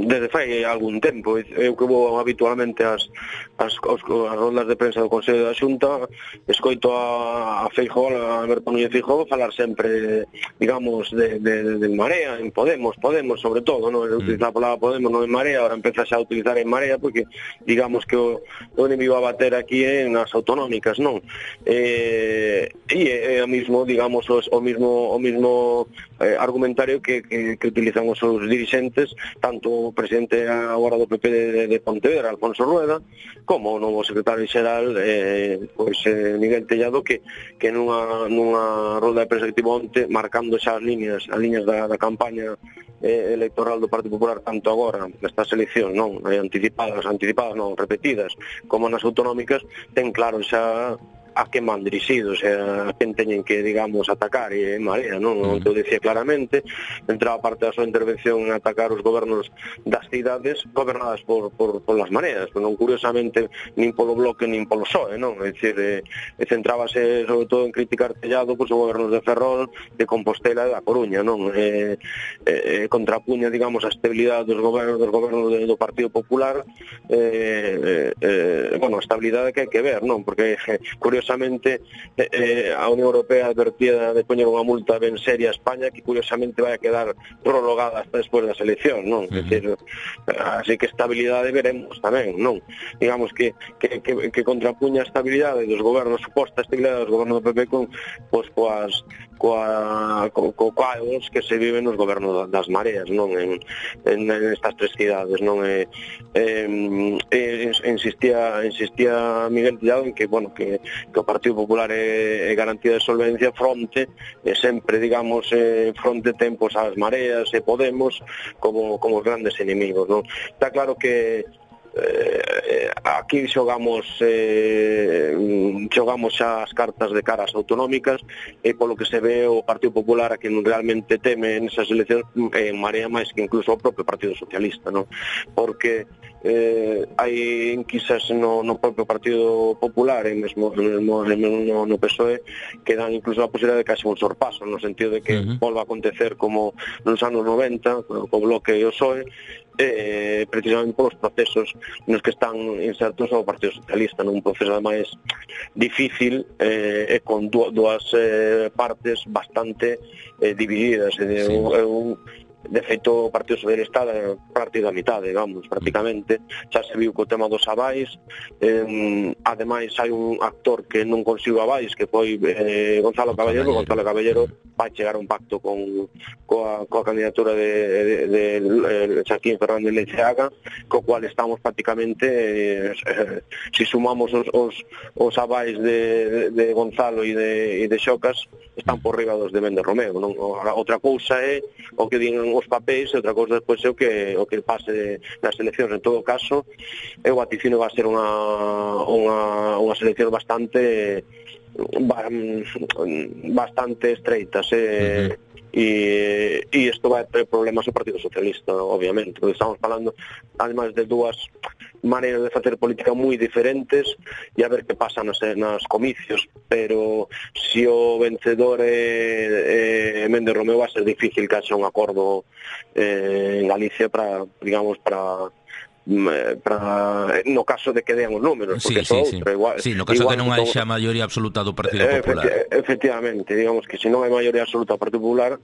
[SPEAKER 16] desde fai algún tempo. Eu que vou habitualmente ás, as, as, as rondas de prensa do Consello da Xunta, escoito a, a Feijóo, a Alberto Núñez Feijóo falar sempre, digamos, de, de, de Marea, en Podemos, Podemos sobre todo, non? Ele utiliza a palabra Podemos, non En Marea, ahora empeza xa a utilizar En Marea porque digamos que o, o enemigo a bater aquí é nas autonómicas, non? Eh, e é o mismo, digamos, o, o mismo o mismo eh, argumentario Que, que, que utilizan os seus dirixentes, tanto o presidente agora do P P de, de Pontevedra, Alfonso Rueda, como o novo secretario xeral eh, pois, eh, Miguel Tellado, que, que nunha, nunha rolda de prensa que tivo onte, marcando xa as líneas, as líneas da, da campaña eh, electoral do Partido Popular, tanto agora nestas eleccións, non, anticipadas, anticipadas non, repetidas, como nas autonómicas, ten claro xa a quen van dirixidos, a quen teñen que, digamos, atacar, e Marea, non? Non te o dicía claramente, entraba parte da súa intervención en atacar os gobernos das cidades gobernadas por, por, por las mareas, non curiosamente nin polo Bloque nin polo P S O E, non? É dicir, eh, centrábase sobre todo en criticar Tellado pois, os gobernos de Ferrol, de Compostela e da Coruña, non? Eh, eh, contrapuña, digamos, a estabilidade dos gobernos, dos gobernos do Partido Popular, eh, eh, bueno, a estabilidade que hai que ver, non? Porque, eh, curiosamente, eh, a Unión Europea advertía de poñer unha multa ben seria a España que, curiosamente, vai a quedar prolongada hasta despois das eleccións, non? Uh-huh. É dicir, así que estabilidade veremos tamén, non? Digamos que, que, que, que contrapuña a estabilidade dos gobernos, suposta estabilidade dos gobernos do P P con, pois, coas, coa, co, co caos que se vive nos gobernos das mareas, non? En, en, en estas tres cidades, non? E, eh, eh, insistía, insistía Miguel Tellado en que, bueno, que, que o Partido Popular é, é garantía de solvencia fronte, e sempre, digamos, eh, fronte tempos ás mareas e Podemos como, como os grandes enemigos, non? Está claro que eh, aquí xogamos eh, xogamos xa as cartas de cara ás autonómicas, e polo que se ve o Partido Popular a quen realmente teme nesas eleccións en Marea máis que incluso o propio Partido Socialista, non? Porque eh, hai enquisas no, no propio Partido Popular e mesmo, mesmo no, no P S O E que dan incluso a posibilidade de que haxe un sorpaso, no sentido de que uh-huh. volva a acontecer como nos anos noventa co Bloque e o P S O E, eh, precisamente polos procesos nos que están insertos ao Partido Socialista, nun proceso ademais difícil eh, e con dúas eh, partes bastante eh, divididas, e sí. un, un de feito o Partido Socialista é partido a mitad, digamos, prácticamente xa se viu co tema dos avais, eh, ademais hai un actor que non consigo avais, que foi eh, Gonzalo Caballero. Gonzalo Caballero vai chegar a un pacto con coa, coa candidatura de, de, de, de Joaquín Fernández Leiceaga, co cual estamos prácticamente eh, eh, si sumamos os, os, os avais de, de, de Gonzalo e de, de Xocas, están por riba dos de Méndez Romeu, non? Outra cousa é o que din os papéis, e outra cousa despois é o que o que pase nas eleccións. En todo caso, eu vaticino vai ser unha unha unha selección bastante bastante estreitas, eh, uh-huh. e e isto vai ter problemas ao Partido Socialista, obviamente, porque estamos falando ademais de dúas maneiras de facer política moi diferentes, e a ver que pasa nas, nas comicios, pero se o vencedor é, é Méndez Romeu, vai ser difícil que haxa un acordo eh, en Galicia para, digamos, para para no caso de que dean os números, porque sí, sí, outro,
[SPEAKER 2] sí.
[SPEAKER 16] igual,
[SPEAKER 2] sí, no caso
[SPEAKER 16] igual
[SPEAKER 2] que non hai xa maioría absoluta do Partido Popular.
[SPEAKER 16] Efecti efectivamente, digamos que se non hai maioría absoluta do Partido Popular,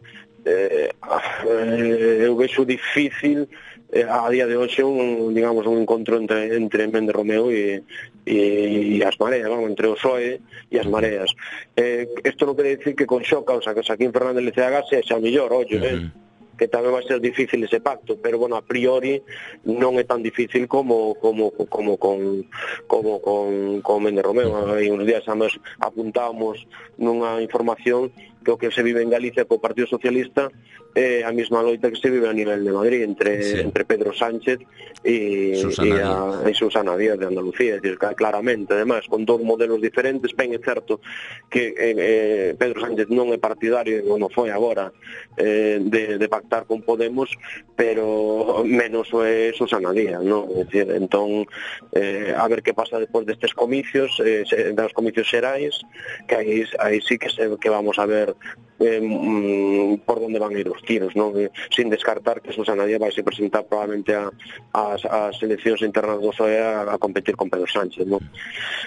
[SPEAKER 16] eh, eh, eu vexo difícil eh, a día de hoxe un, digamos, un encontro entre, entre Méndez Romeu e, e, e as mareas, vamos, entre o P S O E e as mareas. Eh, isto non quere dicir que con Xoca, o sea, que Joaquín Fernández Leiceaga sexa mellor, ollo, uh-huh. eh? que tamén vai ser difícil ese pacto, pero bueno, a priori non é tan difícil como como como con como con con Méndez Romeu. Hai uns días ambos apuntamos nunha información que o que se vive en Galicia co Partido Socialista é a mesma loita que se vive a nivel de Madrid entre sí. entre Pedro Sánchez e Susana, e a, e Susana Díaz de Andalucía, es decir, claramente, además, con dos modelos diferentes. Ben é certo que eh, Pedro Sánchez non é partidario, non foi agora, eh, de, de pactar con Podemos, pero menos é Susana Díaz, non? É dicir, entón, eh, a ver que pasa despois destes comicios, eh, dos comicios xerais, que aí, aí sí que, se, que vamos a ver eh, mm, por onde van a ir os tiros, non? Sin descartar que Susana Díaz vai se presentar probablemente a, a, a seleccións internas do P S O E a, a competir con Pedro Sánchez, non?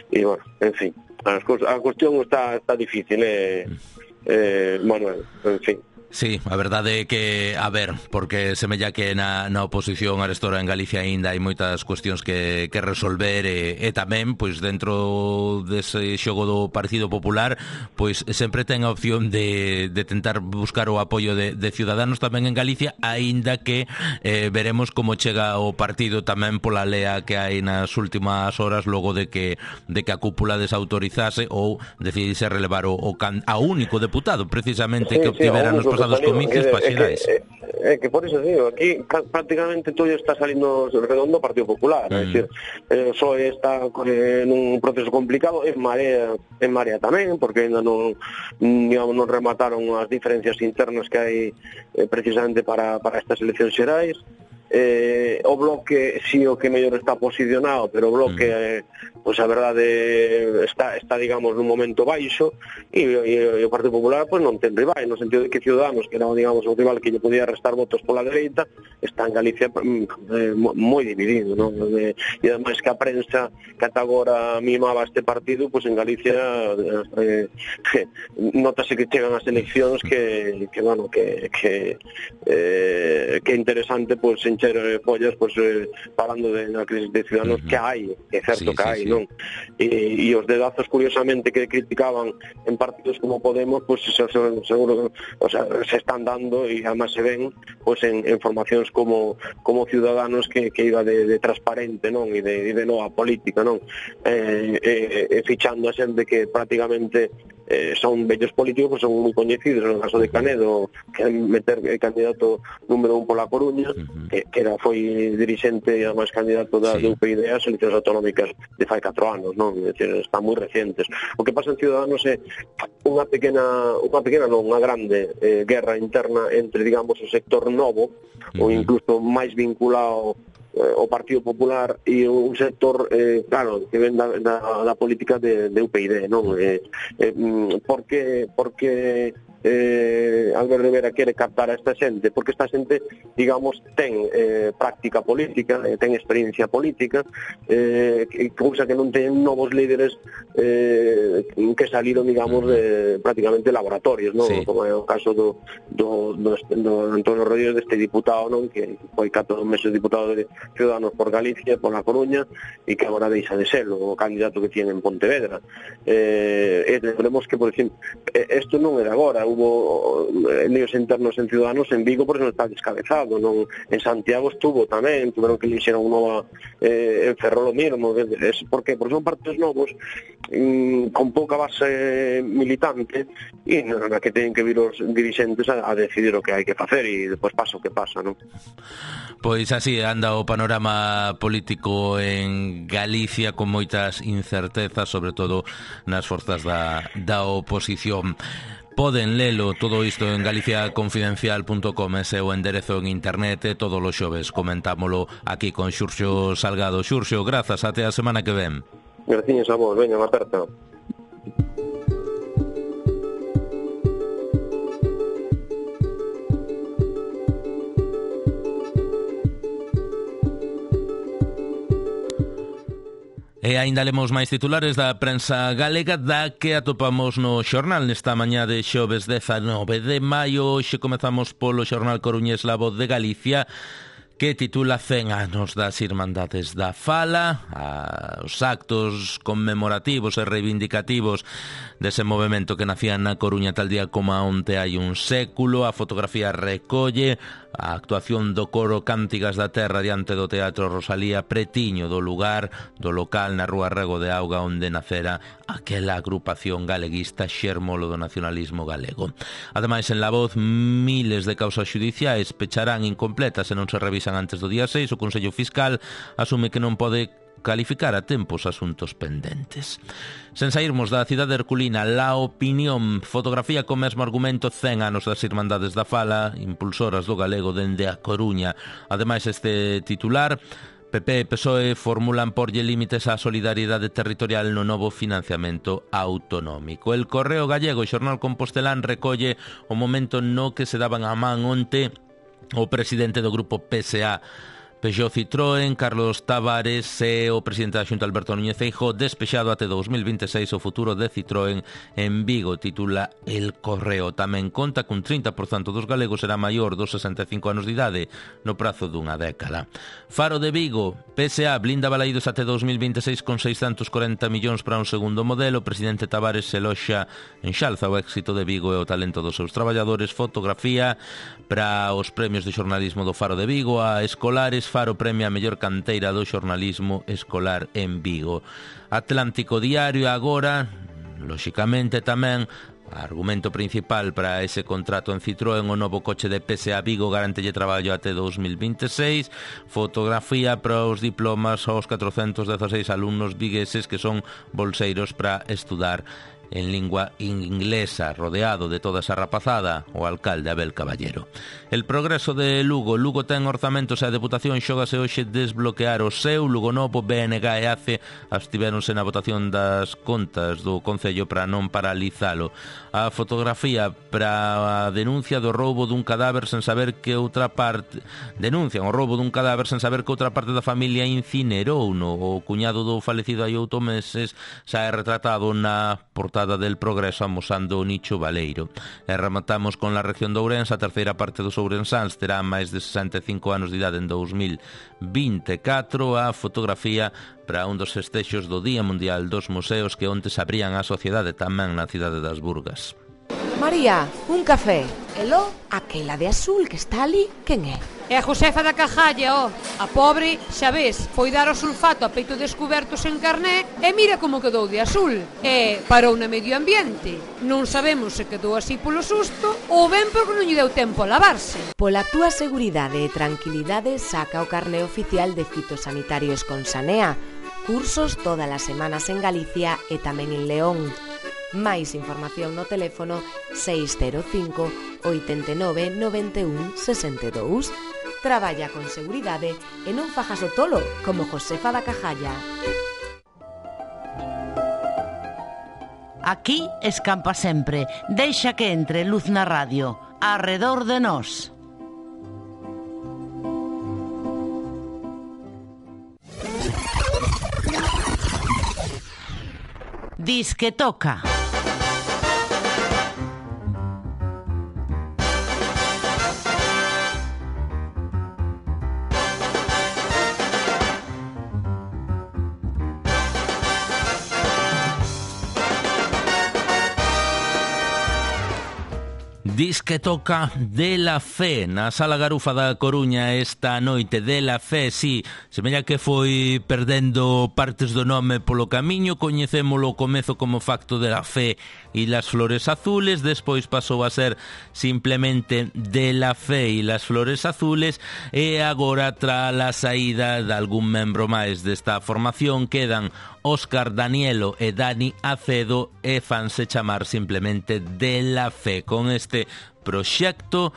[SPEAKER 16] E, bueno, en fin, a, a cuestión está, está difícil, eh, eh, Manuel, en fin.
[SPEAKER 2] Sí, a verdade é que, a ver, porque semella que na, na oposición arestora en Galicia aínda hai moitas cuestións que, que resolver, e, e tamén, pois, dentro dese xogo do Partido Popular, pois, sempre ten a opción de, de tentar buscar o apoio de, de Ciudadanos tamén en Galicia, aínda que eh, veremos como chega o partido tamén pola lea que hai nas últimas horas, logo de que de que a cúpula desautorizase ou decidise relevar o, o can, a único deputado, precisamente, sí, que obtivera sí, nos pasados pasados comicios para xerais.
[SPEAKER 16] É que, é que por eso digo, aquí prácticamente todo está salindo redondo o Partido Popular, mm. é dicir, eh, o P S O E está eh, nun proceso complicado, en Marea, en Marea tamén, porque ainda non, digamos, non remataron as diferencias internas que hai eh, precisamente para, para estas eleccións xerais. Eh, o Bloque si o que mellor está posicionado, pero o Bloque eh, pois a verdade está, está digamos nun momento baixo e, e, e o Partido Popular pois non ten rival, no sentido de que Ciudadanos, que era digamos o rival que lle podía restar votos pola dereita, está en Galicia eh, moi dividido, non? E, e ademais que a prensa que ata agora mimaba este partido, pois en Galicia eh, eh, notase que chegan as eleccións que, que bueno, que que, eh, que é interesante pois en follas, pues, eh, falando de na crisis de Ciudadanos, uh-huh. que hai, é certo sí, que hai, sí, sí. non? E, e os dedazos, curiosamente, que criticaban en partidos como Podemos, pues se, se, seguro, o sea, se están dando e además se ven pues, en, en formacións como, como Ciudadanos que, que iba de, de transparente, non? E de, de nova política, non? Eh, eh, eh, fichando a xente que prácticamente eh, son vellos políticos, son moi coñecidos, no caso de Canedo, que meter eh, candidato número un pola Coruña, uh-huh. que, que era, foi dirixente e además candidato da sí. U P I D as eleccións autonómicas de fai catro anos, non? É dicir, están moi recientes. O que pasa en Ciudadanos é unha pequena, unha pequena non, unha grande eh, guerra interna entre, digamos, o sector novo, uh-huh. ou incluso máis vinculado o Partido Popular e un sector, eh, claro, que ven da, da, da política de, de U P I D, non? Eh, eh, porque, porque eh, Albert Rivera quere captar a esta xente, porque esta xente, digamos, ten eh, práctica política, eh, ten experiencia política, eh, cousa que non ten novos líderes eh, que saliron, digamos, de prácticamente laboratorios, non? Sí. Como é o caso do, do, do, do Antonio Rodríguez, deste diputado, non? Que foi catro meses diputado de Ciudadanos por Galicia, por La Coruña, e que agora deixa de ser o candidato que tiene en Pontevedra. Eh, e lembremos que, por exemplo, isto non é de agora, hubo líos internos en Ciudadanos en Vigo porque non está descabezado, non? En Santiago estuvo tamén, tuveron que elixer un nova eh, en Ferrol o mismo, es porque, porque son partidos novos mm, con pouca base militante e na que teñen que vir os dirixentes a, a decidir o que hai que facer e depois pasa o que pasa, non?
[SPEAKER 2] Pois así anda o panorama político en Galicia con moitas incertezas, sobre todo nas forzas da, da oposición. Poden lelo todo isto en galicia confidencial punto com, ese o enderezo en internet, todos os xoves comentámolo aquí con Xurxo Salgado. Xurxo, grazas, até a semana que ven.
[SPEAKER 16] Graciñas a vos, veña, aperta.
[SPEAKER 2] E aínda lemos máis titulares da prensa galega da que atopamos no xornal nesta mañá de xoves dezanove de maio. Hoxe comezamos polo xornal coruñés La Voz de Galicia, que titula cen anos das Irmandades da Fala, a, os actos conmemorativos e reivindicativos dese movimento que nacía na Coruña tal día como onte hai un século. A fotografía recolle a actuación do coro Cántigas da Terra diante do Teatro Rosalía pretiño do lugar, do local na rúa Rego de Auga onde nacera aquela agrupación galeguista xermolo do nacionalismo galego. Ademais, en La Voz, miles de causas xudiciais pecharán incompletas se non se revisan antes do día seis. O Consello Fiscal asume que non pode calificar a tempo os asuntos pendentes. Sen sairmos da cidade herculina, La Opinión, fotografía co mesmo argumento, cen anos das Irmandades da Fala, impulsoras do galego dende a Coruña. Ademais, este titular, P P e P S O E formulan porlle límites á solidariedade territorial no novo financiamento autonómico. El Correo Gallego, xornal compostelán, recolle o momento no que se daban a man onte o presidente do grupo P S A Peugeot Citroën, Carlos Tavares, e o presidente da Xunta, Alberto Núñez Feijóo, despexado até dos mil vinte e seis o futuro de Citroën en Vigo, titula El Correo. Tamén conta cun trinta por cento dos galegos será maior dos sesenta e cinco anos de idade no prazo dunha década. Faro de Vigo, P S A blinda balaídos até dos mil vinte e seis con seiscentos corenta millóns para un segundo modelo. O presidente Tavares se loxa en xalza o éxito de Vigo e o talento dos seus traballadores. Fotografía para os premios de xornalismo do Faro de Vigo, a Escolares. Faro premia a mellor canteira do xornalismo escolar en Vigo. Atlántico Diario agora, lóxicamente tamén, Argumento principal para ese contrato en Citroën: o novo coche de P S A Vigo garantelle traballo até dos mil vinte e seis. Fotografía para os diplomas aos catrocentos dezaseis alumnos vigueses que son bolseiros para estudar en lingua inglesa, rodeado de toda esa rapazada, o alcalde Abel Caballero. El progreso de Lugo. Lugo ten orzamentos e a Deputación xógase hoxe desbloquear o seu. Lugo Novo, B N G e A C E abstivéronse na votación das contas do Concello para non paralizalo. A fotografía para a denuncia do roubo dun cadáver sen saber que outra parte denuncian o roubo dun cadáver sen saber que outra parte da familia incinerouno. O cuñado do falecido hai oito meses xa é retratado na portada del Progreso amosando o nicho baleiro. E rematamos con la región de Ourense. A terceira parte dos ourensáns terá máis de sesenta e cinco anos de idade en dos mil vinte e catro. A fotografía para un dos festexos do Día Mundial dos Museos que onte se abrían á sociedade tamén na cidade das Burgas.
[SPEAKER 17] María, un café. Elo, aquela de azul que está ali, quen é?
[SPEAKER 18] É a Josefa da Cajalla, ó. A pobre, xa ves, foi dar o sulfato a peito descuberto sen carné e mira como quedou de azul. E parou no medio ambiente. Non sabemos se quedou así polo susto ou ben porque non lle deu tempo a lavarse.
[SPEAKER 17] Pola túa seguridade e tranquilidade saca o carné oficial de fitosanitarios con Sanea. Cursos todas as semanas en Galicia e tamén en León. Máis información no teléfono seis cero cinco, oito nove, nove un, seis dous. Traballa con seguridade e non fajas o tolo como Josefa da Cajalla.
[SPEAKER 15] Aquí escampa sempre. Deixa que entre luz na radio. Arredor de nós. Disque toca.
[SPEAKER 2] Disque toca de la Fe na Sala Garufa da Coruña esta noite. De la Fe, si, semella que foi perdendo partes do nome polo camiño. Coñecémolo ao comezo como Facto de la Fe e las Flores Azules, despois pasou a ser simplemente De la Fe e las Flores Azules, e agora, tra a saída de algún membro máis desta formación, quedan Óscar Danielo e Dani Acedo e fanse chamar simplemente De la Fe. Con este proxecto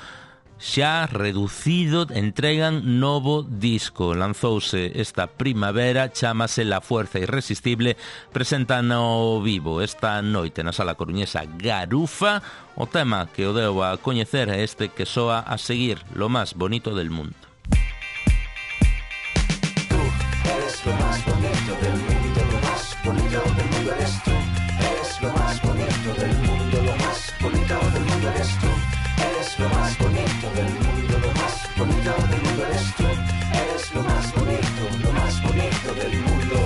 [SPEAKER 2] xa reducido entregan novo disco. Lanzouse esta primavera, chámase La Fuerza Irresistible, presentan ao vivo esta noite na Sala Coruñesa Garufa. O tema que o deu a coñecer é este que soa a seguir: Lo más bonito del mundo.
[SPEAKER 19] Tú eres lo más bonito del mundo, lo más bonito del mundo eres tú. Eres lo más bonito del mundo, lo más bonito del mundo eres tú. Eres lo más bonito del mundo, lo más bonito del mundo eres tú. Eres lo más bonito, lo más bonito del mundo.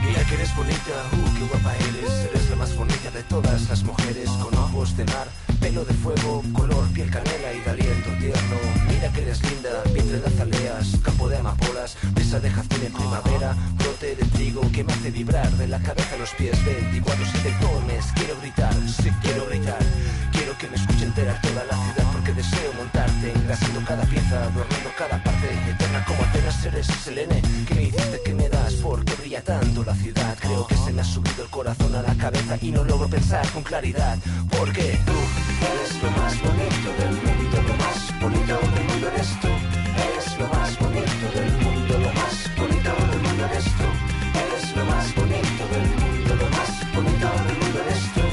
[SPEAKER 19] Mira que eres bonita, uh, qué guapa eres. Eres la más bonita de todas las mujeres, con ojos de mar, pelo de fuego, color piel canela y de aliento tierno. Mira que eres linda, vientre de azaleas, campo de amapolas, brisa de jazmín en primavera, brote de trigo que me hace vibrar de la cabeza a los pies. Veinticuatro siete tomes, quiero gritar, sí quiero gritar. Quiero que me escuche entera toda la ciudad, porque deseo montarte, engrasando cada pieza, adornando cada parte, eterna como Atenas eres Selene, que me hiciste, que me das, porque brilla tanto la ciudad. Creo que se me ha subido el corazón a la cabeza y no logro pensar con claridad, porque tú eres lo más bonito del mundo, lo más bonito del mundo eres tú. Eres lo más bonito del mundo, lo más bonito del mundo eres tú. Eres lo más bonito del mundo, lo más bonito del mundo eres tú.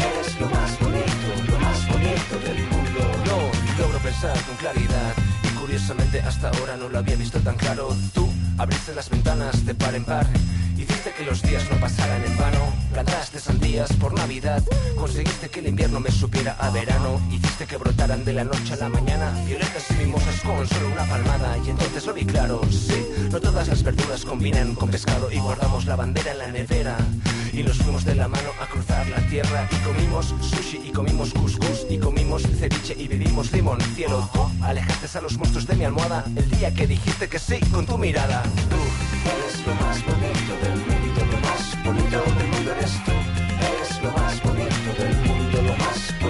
[SPEAKER 19] Eres lo más bonito, lo más bonito del mundo. No logro pensar con claridad y curiosamente hasta ahora no lo había visto tan claro. Tú abriste las ventanas de par en par, hiciste que los días no pasaran en vano. Plantaste sandías por Navidad, conseguiste que el invierno me supiera a verano. Hiciste que brotaran de la noche a la mañana violetas y mimosas con solo una palmada. Y entonces lo vi claro, sí, no todas las verduras combinan con pescado. Y guardamos la bandera en la nevera y nos fuimos de la mano a cruzar la tierra. Y comimos sushi y comimos couscous y comimos ceviche y bebimos limón. Cielo, tú alejaste a los monstruos de mi almohada el día que dijiste que sí con tu mirada. Tú eres lo más bonito del mundo, lo más bonito del mundo eres tú. Eres lo más bonito del mundo, lo más bonito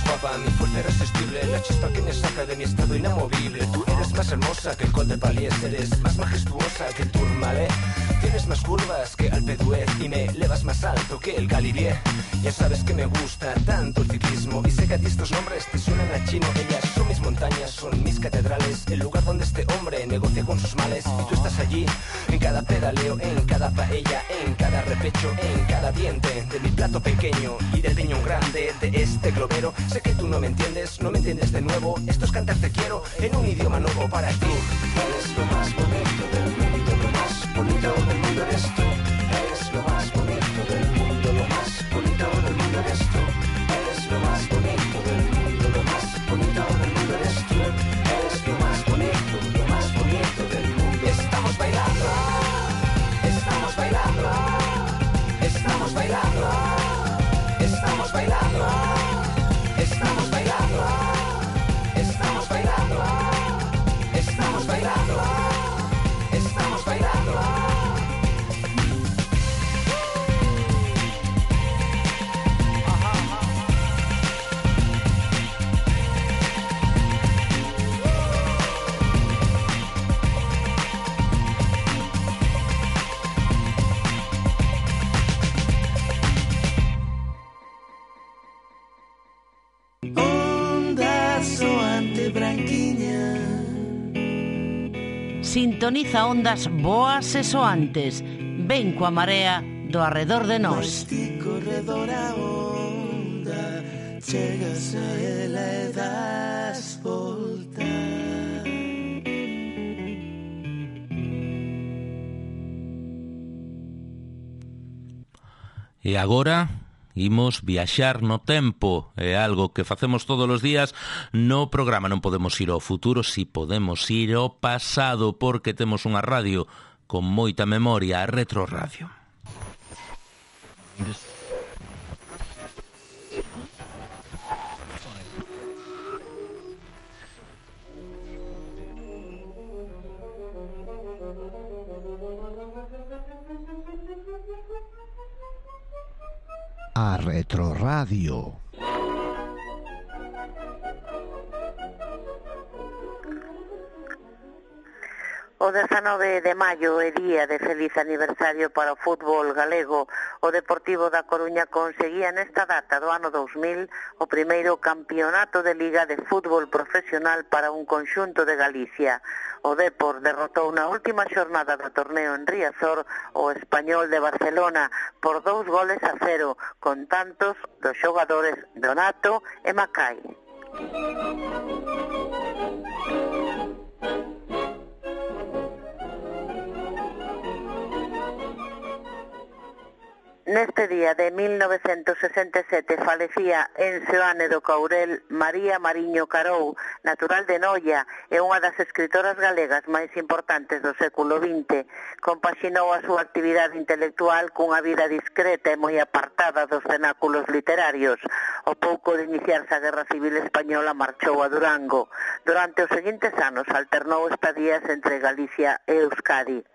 [SPEAKER 19] más guapa, mi fuerza irresistible, la chispa que me saca de mi estado inamovible. Tú eres más hermosa que el Col de Palies, eres más majestuosa que el Tourmalet. Tienes más curvas que Alpe d'Huez y me elevas más alto que el Galibier. Ya sabes que me gusta tanto el ciclismo y sé que a ti estos nombres te suenan a chino. Ellas son mis montañas, son mis catedrales, el lugar donde este hombre negocia con sus males. Y tú estás allí, en cada pedaleo, en cada paella, en cada repecho, en cada diente de mi plato pequeño y del piñón grande de este globero. Sé que tú no me entiendes, no me entiendes de nuevo. Esto es cantar te quiero en un idioma nuevo para ti. Eres lo más bonito del mundo, lo más bonito del mundo eres tú. Eres lo más bonito del mundo, lo más bonito del mundo eres tú. Eres lo más bonito del mundo, lo más bonito del mundo eres tú. Eres lo más bonito, lo más bonito del mundo. Estamos bailando, estamos bailando, estamos bailando, estamos bailando, estamos bailando, estamos bailando, estamos bailando, estamos bailando.
[SPEAKER 15] Sintoniza ondas boas e soantes. Ven coa marea do arredor de nós.
[SPEAKER 19] Corredor a onda, chegas a ela e das volta.
[SPEAKER 2] E agora imos viaxar no tempo. É algo que facemos todos os días no programa. Non podemos ir ao futuro, si podemos ir ao pasado, porque temos unha radio con moita memoria, a Retro Radio.
[SPEAKER 20] A Retro Radio.
[SPEAKER 21] O dezanove de maio é día de feliz aniversario para o fútbol galego. O Deportivo da Coruña conseguía nesta data do ano dous mil o primeiro campeonato de Liga de Fútbol Profesional para un conxunto de Galicia. O Depor derrotou na última xornada do torneo en Riazor o Español de Barcelona por dous goles a cero, con tantos dos xogadores Donato e Macai. Neste día de mil novecentos sesenta e sete falecía en Seoane do Courel María Mariño Carou, natural de Noia, e unha das escritoras galegas máis importantes do século vinte. Compaxinou a súa actividade intelectual cunha vida discreta e moi apartada dos cenáculos literarios. O pouco de iniciarse a Guerra Civil Española marchou a Durango. Durante os seguintes anos alternou estadías entre Galicia e Euskadi.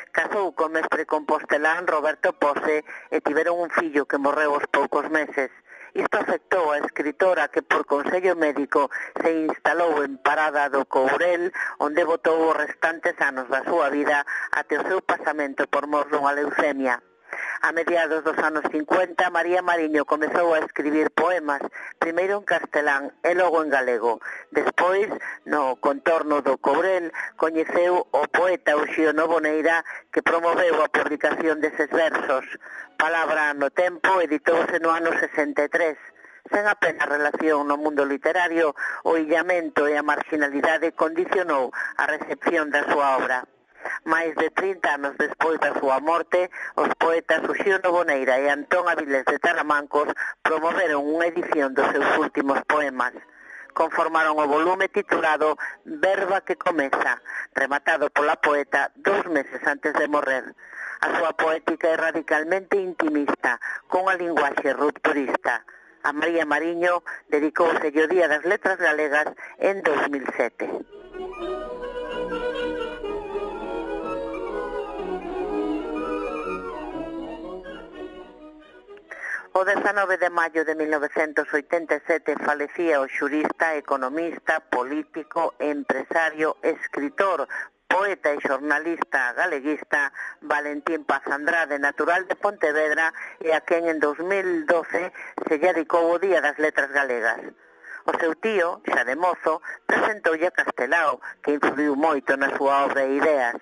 [SPEAKER 21] Casou co mestre compostelán Roberto Pose e tiveron un fillo que morreu aos poucos meses. Isto afectou a escritora que por consello médico se instalou en Parada do Courel, onde botou os restantes anos da súa vida até o seu pasamento por mor dunha leucemia. A mediados dos anos cincuenta, María Mariño comezou a escribir poemas, primeiro en castelán e logo en galego. Despois, no contorno do Courel, coñeceu o poeta Uxío Novoneira, que promoveu a publicación deses versos. Palabra no tempo editouse no ano sesenta e tres. Sen apenas relación no mundo literario, o illamento e a marginalidade condicionou a recepción da súa obra. Mais de trinta anos despois da súa morte, os poetas Uxío Novoneira e Antón Avilés de Taramancos promoveron unha edición dos seus últimos poemas. Conformaron o volume titulado Verba que comeza, rematado pola poeta dous meses antes de morrer. A súa poética é radicalmente intimista, con a linguaxe rupturista. A María Mariño dedicouse o Día das Letras Galegas en dos mil sete. O dezanove de maio de mil novecentos oitenta e sete falecía o xurista, economista, político, empresario, escritor, poeta e xornalista galeguista Valentín Paz Andrade, natural de Pontevedra, e a quen en dos mil doce se lle dedicou o Día das Letras Galegas. O seu tío, xa de mozo, presentoulle a Castelao, que influiu moito na súa obra e ideas.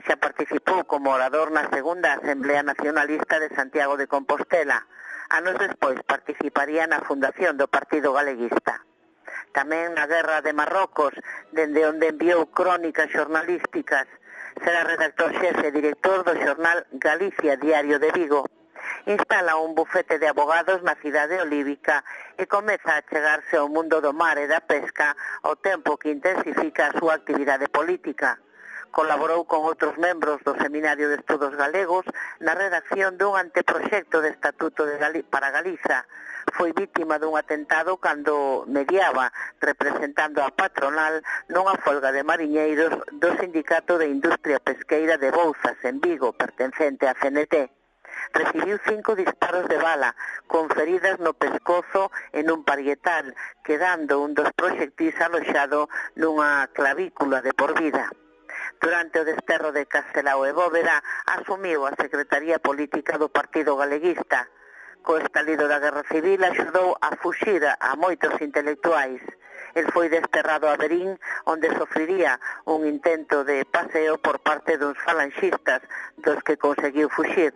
[SPEAKER 21] Xa participou como orador na segunda Asamblea Nacionalista de Santiago de Compostela. Anos despois participaría na fundación do Partido Galeguista. Tamén na Guerra de Marrocos, dende onde enviou crónicas xornalísticas. Será redactor xefe e director do xornal Galicia Diario de Vigo. Instala un bufete de abogados na cidade olívica e comeza a chegarse ao mundo do mar e da pesca ao tempo que intensifica a súa actividade política. Colaborou con outros membros do Seminario de Estudos Galegos na redacción dun anteproxecto de Estatuto de Gali para Galiza. Foi vítima dun atentado cando mediaba, representando a patronal, nunha folga de mariñeiros do Sindicato de Industria Pesqueira de Bouzas, en Vigo, pertencente á C N T. Recibiu cinco disparos de bala, con feridas no pescozo e nun parietal, quedando un dos proxectis aloxado nunha clavícula de por vida. Durante o desterro de Castelao e Bóveda, asumiu a Secretaría Política do Partido Galeguista. Co estalido da Guerra Civil axudou a fuxir a moitos intelectuais. El foi desterrado a Berín, onde sofriría un intento de paseo por parte duns falanxistas, dos que conseguiu fuxir.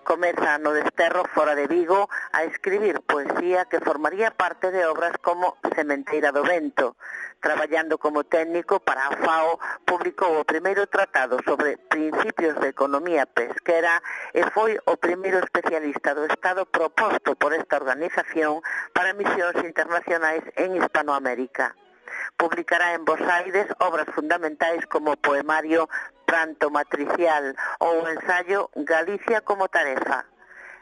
[SPEAKER 21] Comeza no desterro fora de Vigo a escribir poesía que formaría parte de obras como Sementeira do Vento. Traballando como técnico para a FAO, publicou o primeiro tratado sobre principios de economía pesquera e foi o primeiro especialista do Estado proposto por esta organización para misións internacionais en Hispanoamérica. Publicará en Bos Aires obras fundamentais como o poemario Pranto Matricial ou o ensayo Galicia como tarefa.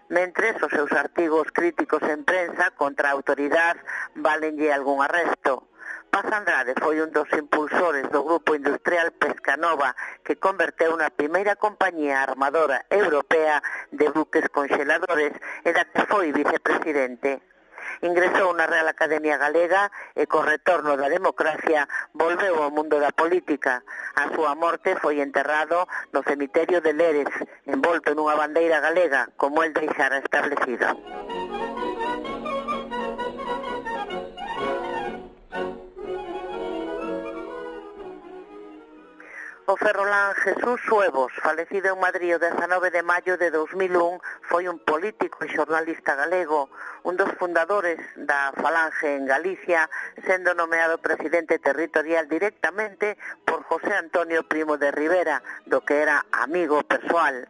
[SPEAKER 21] Mentres, os seus artigos críticos en prensa contra a autoridade valenlle algún arresto. Paz Andrade foi un dos impulsores do Grupo Industrial Pescanova, que converteu na primeira compañía armadora europea de buques conxeladores e da que foi vicepresidente. Ingresou na Real Academia Galega e co retorno da democracia volveu ao mundo da política. A súa morte foi enterrado no cemiterio de Leres, envolto nunha bandeira galega, como el deixara establecido. O ferrolán Jesús Suevos, falecido en Madrid o dezanove de maio de dos mil un, foi un político e xornalista galego, un dos fundadores da Falange en Galicia, sendo nomeado presidente territorial directamente por José Antonio Primo de Rivera, do que era amigo persoal.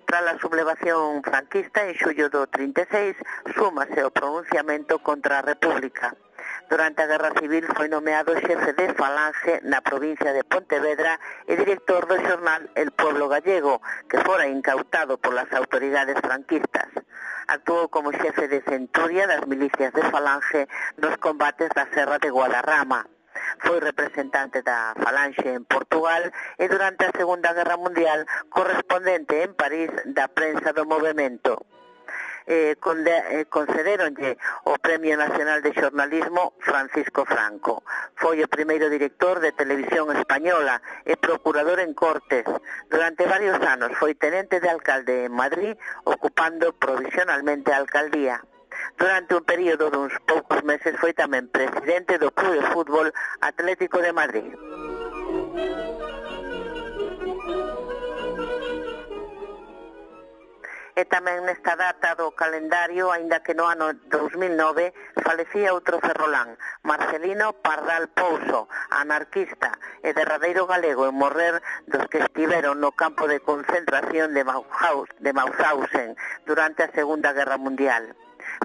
[SPEAKER 21] Tras a sublevación franquista, en xullo do trinta e seis, súmase o pronunciamento contra a República. Durante a Guerra Civil foi nomeado xefe de Falange na provincia de Pontevedra e director do xornal El Pueblo Gallego, que fora incautado polas autoridades franquistas. Actuou como xefe de centuria das milicias de Falange nos combates da Serra de Guadarrama. Foi representante da Falange en Portugal e durante a Segunda Guerra Mundial correspondente en París da prensa do movemento. Eh, eh, concederonlle o Premio Nacional de Xornalismo Francisco Franco. Foi o primeiro director de Televisión Española e procurador en Cortes. Durante varios anos foi tenente de alcalde en Madrid, ocupando provisionalmente a alcaldía. Durante un período duns poucos meses foi tamén presidente do Club de Fútbol Atlético de Madrid. E tamén nesta data do calendario, aínda que no ano dos mil nove, falecía outro ferrolán, Marcelino Pardal Pouso, anarquista e derradeiro galego en morrer dos que estiveron no campo de concentración de Mauthausen durante a Segunda Guerra Mundial.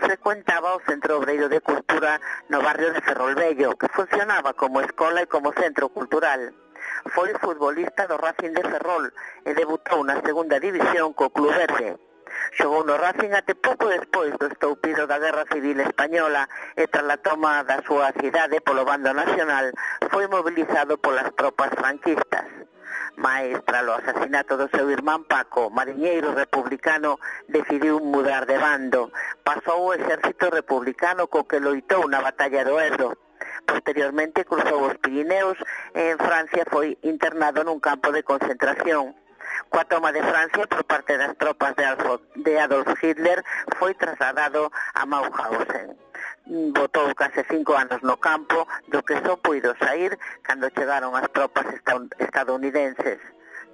[SPEAKER 21] Frecuentaba o Centro Obreiro de Cultura no barrio de Ferrolvello, que funcionaba como escola e como centro cultural. Foi futbolista do Racing de Ferrol e debutou na Segunda División co Club Verde. Xogou no Racing até pouco despois do estoupido da Guerra Civil Española e tras a toma da súa cidade polo bando nacional foi mobilizado polas tropas franquistas. Mais, tras o asasinato do seu irmán Paco, mariñeiro republicano, decidiu mudar de bando. Pasou o exército republicano co que loitou na batalla do Ebro. Posteriormente cruzou os Pirineos e en Francia foi internado nun campo de concentración. Coa toma de Francia por parte das tropas de Adolf Hitler foi trasladado a Mauthausen. Botou case cinco anos no campo, do que só puido sair cando chegaron as tropas estadounidenses.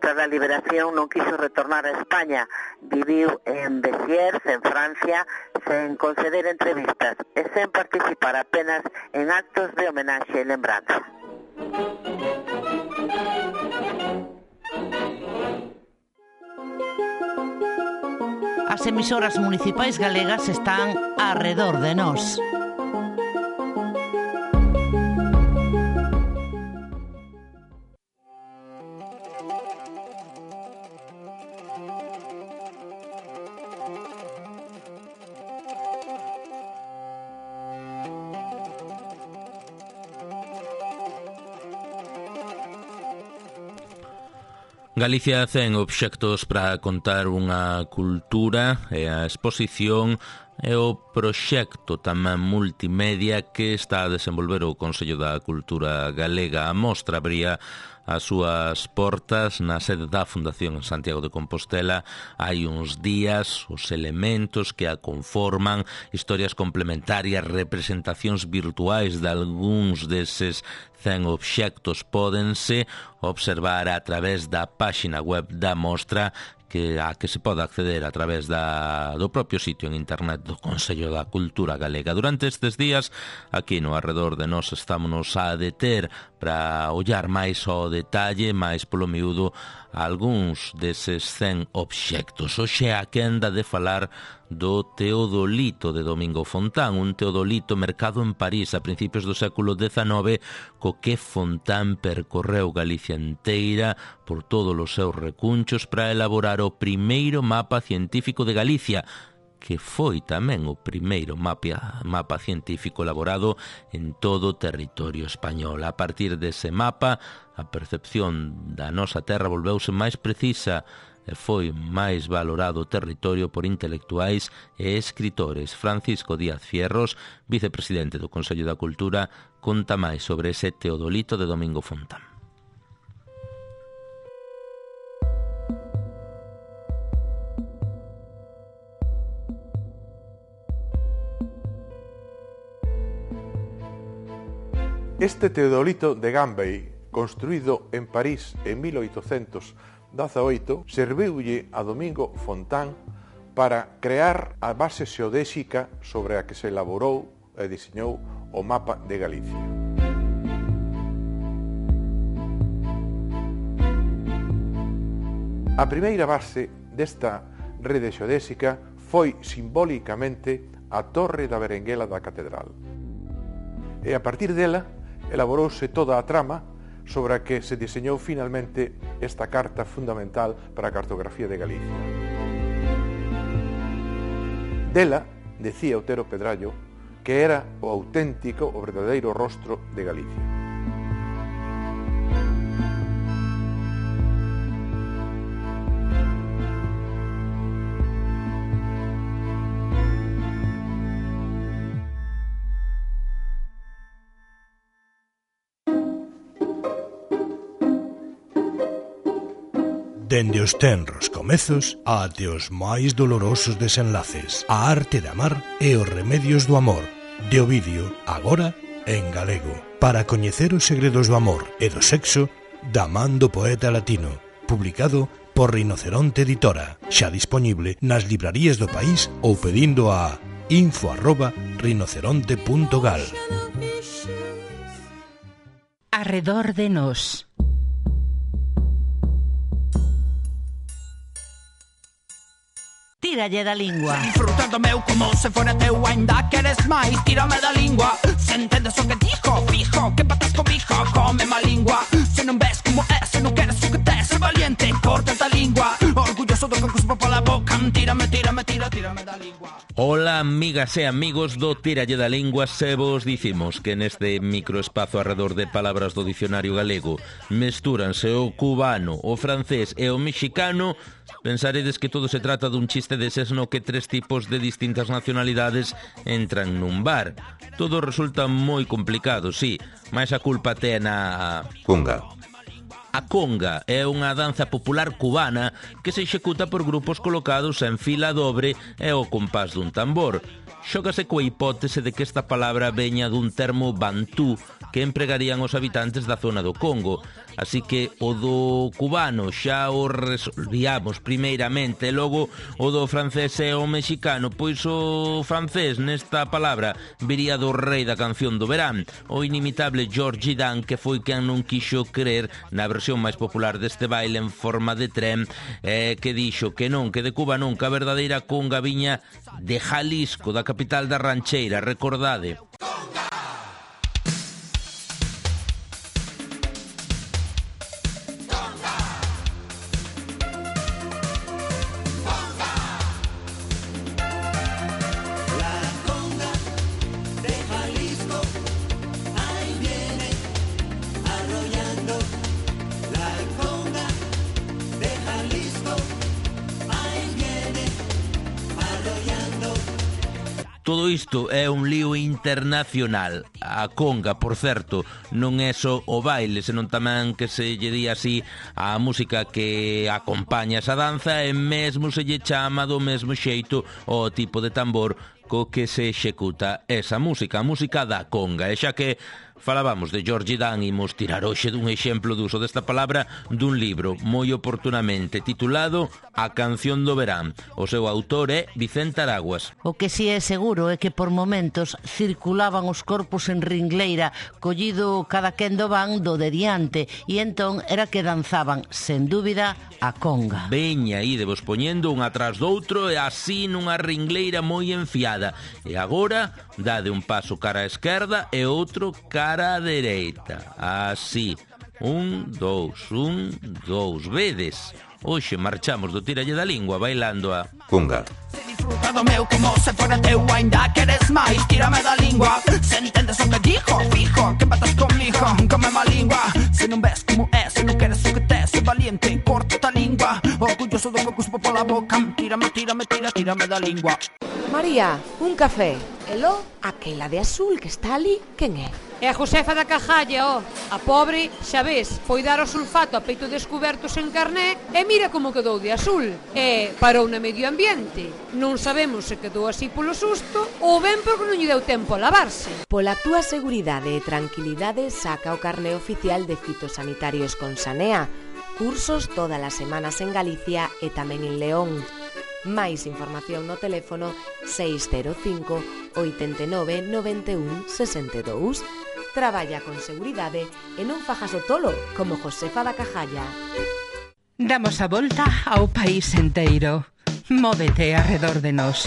[SPEAKER 21] Tras a liberación non quiso retornar a España, viviu en Béziers, en Francia, sen conceder entrevistas e sen participar apenas en actos de homenaxe e lembranza.
[SPEAKER 15] As emisoras municipais galegas están arredor de nós.
[SPEAKER 2] Galicia ten obxectos para contar unha cultura e a exposición e o proxecto tamén multimedia que está a desenvolver o Consello da Cultura Galega. A mostra abría as súas portas na sede da Fundación en Santiago de Compostela hai uns días. Os elementos que a conforman, historias complementarias, representacións virtuais de algúns deses cen obxectos pódense observar a través da páxina web da mostra, que a que se pode acceder a través da, do propio sitio en internet do Consello da Cultura Galega. Durante estes días, aquí no arredor de nós, estámonos a deter para ollar máis ao detalle, máis polo miúdo, algúns deses cen obxectos. Hoxe a quenda de falar do teodolito de Domingo Fontán, un teodolito mercado en París a principios do século dezanove, co que Fontán percorreu Galicia inteira por todos os seus recunchos para elaborar o primeiro mapa científico de Galicia, que foi tamén o primeiro mapa, mapa científico elaborado en todo o territorio español. A partir dese mapa, a percepción da nosa terra volveuse máis precisa e foi máis valorado o territorio por intelectuais e escritores. Francisco Díaz Fierros, vicepresidente do Consello da Cultura, conta máis sobre ese teodolito de Domingo Fontán.
[SPEAKER 1] Este teodolito de Gambay, construído en París en mil oitocentos dezaoito, serviulle a Domingo Fontán para crear a base xeodésica sobre a que se elaborou e diseñou o mapa de Galicia. A primeira base desta rede xeodésica foi simbólicamente a Torre da Berenguela da Catedral. E a partir dela elaborouse toda a trama sobre a que se diseñou finalmente esta carta fundamental para a cartografía de Galicia. Dela, decía Otero Pedrallo, que era o auténtico, o verdadeiro rostro de Galicia.
[SPEAKER 22] Dende os tenros comezos até os máis dolorosos desenlaces, a arte de amar e os remedios do amor, de Ovidio, agora en galego, para coñecer os segredos do amor e do sexo, da man do poeta latino, publicado por Rinoceronte Editora, xa dispoñible nas librarías do país ou pedindo a info arroba rinoceronte punto gal.
[SPEAKER 15] Arredor de nós. Tíralle da lingua.
[SPEAKER 23] Disfrutando meu como se fora teu, ainda queres máis, tírame da lingua. Se entendes o que dijo, fijo, que patas comigo, come má lingua. Se non ves como é, se non queres o que tes, ser valiente, corta da lingua. Orgulloso do que cuspo pola boca, anti tírame, tírame, tira, tírame da lingua.
[SPEAKER 2] Ola, amigas e amigos do Tíralle da Lingua, se vos dicimos que neste microespazo arredor de palabras do dicionario galego mestúranse o cubano, o francés e o mexicano, pensaredes que todo se trata dun chiste deses no que tres tipos de distintas nacionalidades entran nun bar. Todo resulta moi complicado, sí, mas a culpa ten a...
[SPEAKER 3] Conga.
[SPEAKER 2] A conga é unha danza popular cubana que se executa por grupos colocados en fila dobre e ao compás dun tambor. Xógase coa hipótese de que esta palabra veña dun termo bantú que empregarían os habitantes da zona do Congo. Así que o do cubano xa o resolvíamos primeiramente, e logo o do francés e o mexicano, pois o francés nesta palabra viría do rei da canción do verán, o inimitable Georgie Dan, que foi quen non quixo creer na versión máis popular deste baile en forma de tren, eh, que dixo que non, que de Cuba nunca a verdadeira conga viña de Jalisco, da capital da rancheira, recordade. Todo isto é un lío internacional. A conga, por certo, non é só o baile, senón tamén que se lle di así a música que acompaña esa danza, e mesmo se lle chama do mesmo xeito o tipo de tambor co que se executa esa música, a música da conga. E xa que falábamos de Georgie Dan, imos tirar hoxe dun exemplo de uso desta palabra dun libro moi oportunamente titulado A canción do verán. O seu autor é Vicente Araguas.
[SPEAKER 15] O que si é seguro é que por momentos circulaban os corpos en ringleira, collido cada quen do van do de diante, e entón era que danzaban, sen dúbida, a conga.
[SPEAKER 2] Veña, idevos poñendo un atrás do outro e así nunha ringleira moi enfiada. E agora dade un paso cara á esquerda e outro cara á dereita. Así. Un, dous, un, dous. Vedes? Hoxe marchamos do Tíralle da Lingua bailando a
[SPEAKER 3] conga.
[SPEAKER 23] Disfrutado meu como se fora teu, ainda queres máis, tírame da lingua. Se entendes o que dijo, fijo, que patas comigo, come má lingua. Se non ves como é, se non queres o que te, se valiente, corta a lingua. Orgulloso do que cuspo pola boca, tírame, tírame, tira, tírame da lingua.
[SPEAKER 17] María, un café. Elo, aquela de azul que está ali, quen é?
[SPEAKER 18] É a Josefa da Cajalla, ó. A pobre, xa ves, foi dar o sulfato a peito descuberto sen carné e mira como quedou de azul. E parou na medio ambiente. Non sabemos se quedou así polo susto ou ben porque non lle deu tempo a lavarse.
[SPEAKER 17] Pola túa seguridade e tranquilidade saca o carné oficial de fitosanitarios con Sanea. Cursos todas as semanas en Galicia e tamén en León. Máis información no teléfono seis cero cinco, oito nove, nove un, seis dous. Traballa con seguridade e non fajas o tolo como Josefa da Cajalla.
[SPEAKER 4] Damos a volta ao país enteiro. Móvete arredor de nós.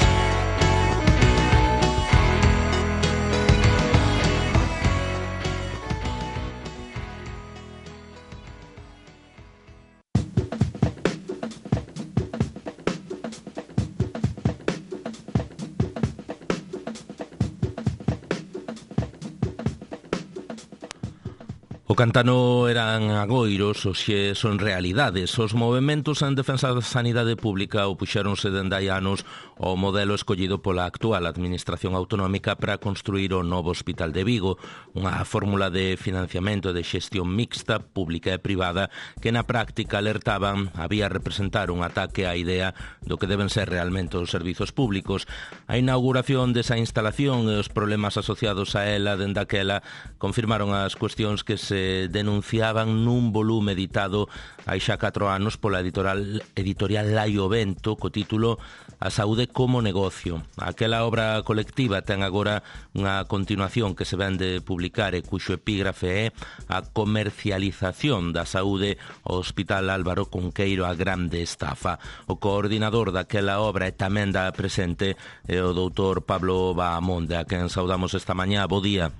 [SPEAKER 2] O cantano eran agoiros, hoxe son realidades. Os movementos en defensa da sanidade pública opuxéronse dende hai anos ao modelo escollido pola actual administración autonómica para construir o novo Hospital de Vigo, unha fórmula de financiamento e de xestión mixta, pública e privada, que na práctica alertaban había representar un ataque á idea do que deben ser realmente os servizos públicos. A inauguración desa instalación e os problemas asociados a ela dende aquela confirmaron as cuestións que se denunciaban nun volume editado hai xa catro anos pola editorial, editorial Laio Vento co título A saúde como negocio. Aquela obra colectiva ten agora unha continuación que se ven de publicar e cuxo epígrafe é A comercialización da saúde ao Hospital Álvaro Cunqueiro, a grande estafa. O coordinador daquela obra e tamén da presente é o doutor Pablo Bahamonde, a quen saudamos esta mañá. Bo día.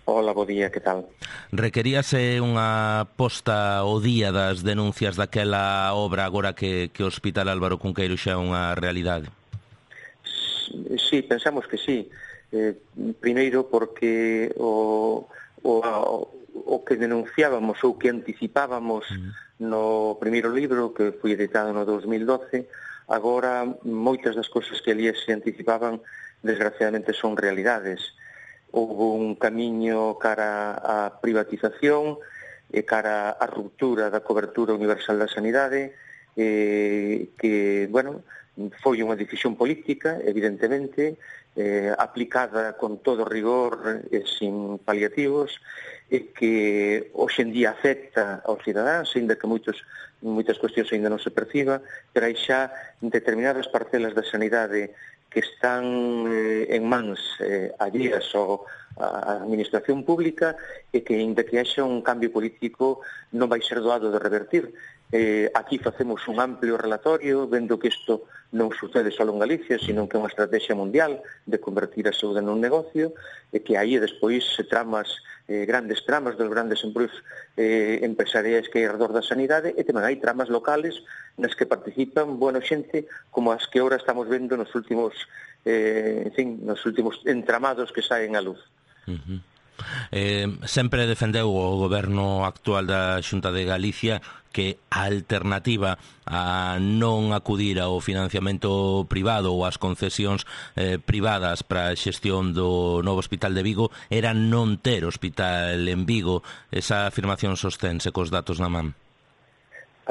[SPEAKER 3] Hola, bo día, que tal?
[SPEAKER 2] Requeríase unha posta ao día das denuncias daquela obra agora que, que o Hospital Álvaro Cunqueiro xa é unha realidade?
[SPEAKER 3] Sí, pensamos que sí. Eh, primeiro porque o, o, o que denunciábamos ou que anticipábamos mm. no primeiro libro, que foi editado no dos mil doce, agora moitas das cousas que ali se anticipaban desgraciadamente son realidades. Houve un camiño cara á privatización e cara á ruptura da cobertura universal da sanidade eh, que, bueno, foi unha decisión política, evidentemente, eh, aplicada con todo rigor e sin paliativos e que hoxe en día afecta aos cidadáns, ainda que moitos, moitas cuestións ainda non se perciba, pero hai xa determinadas parcelas da sanidade que están eh, en mans eh, alleas ao a administración pública e que, ainda que haxa un cambio político, non vai ser doado de revertir. Eh, aquí facemos un amplio relatorio, vendo que isto non sucede só en Galicia, sino que é unha estrategia mundial de convertir a saúde nun negocio, e que aí despois se tramas, eh, grandes tramas dos grandes empresas eh, empresariais que hai alrededor da sanidade, e tamén hai tramas locales nas que participan, bueno, xente como as que agora estamos vendo nos últimos, eh, en fin, nos últimos entramados que saen á luz.
[SPEAKER 2] Uh-huh. Eh, sempre defendeu o goberno actual da Xunta de Galicia que a alternativa a non acudir ao financiamento privado ou ás concesións eh, privadas para a xestión do novo Hospital de Vigo era non ter hospital en Vigo. Esa afirmación sostense cos datos na man?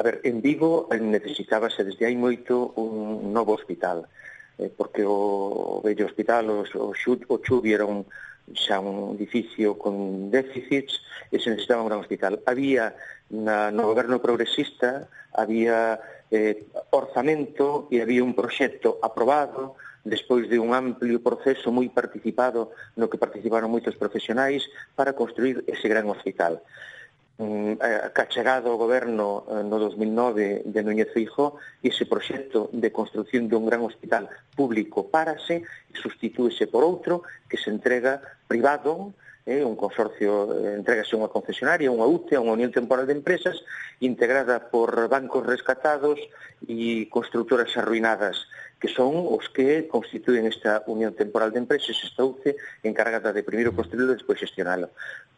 [SPEAKER 3] A ver, en Vigo necesitábase desde hai moito un novo hospital, eh, porque o vello hospital, o, o, o Chubi era un xa un edificio con déficits e se necesitaba un gran hospital. Había na, no goberno progresista había eh, orzamento e había un proxecto aprobado despois de un amplio proceso moi participado no que participaron moitos profesionais para construir ese gran hospital. Mm, cachegado ao goberno no dos mil nove de Núñez Feijóo, e ese proxecto de construción dun gran hospital público párase e sustitúese por outro que se entrega privado, eh, un consorcio, eh, entregase unha concesionaria, unha U T E, unha Unión Temporal de Empresas, integrada por bancos rescatados e constructoras arruinadas, que son os que constituen esta Unión Temporal de Empresas, esta U C E, encargada de primeiro construirlo e despois gestionalo.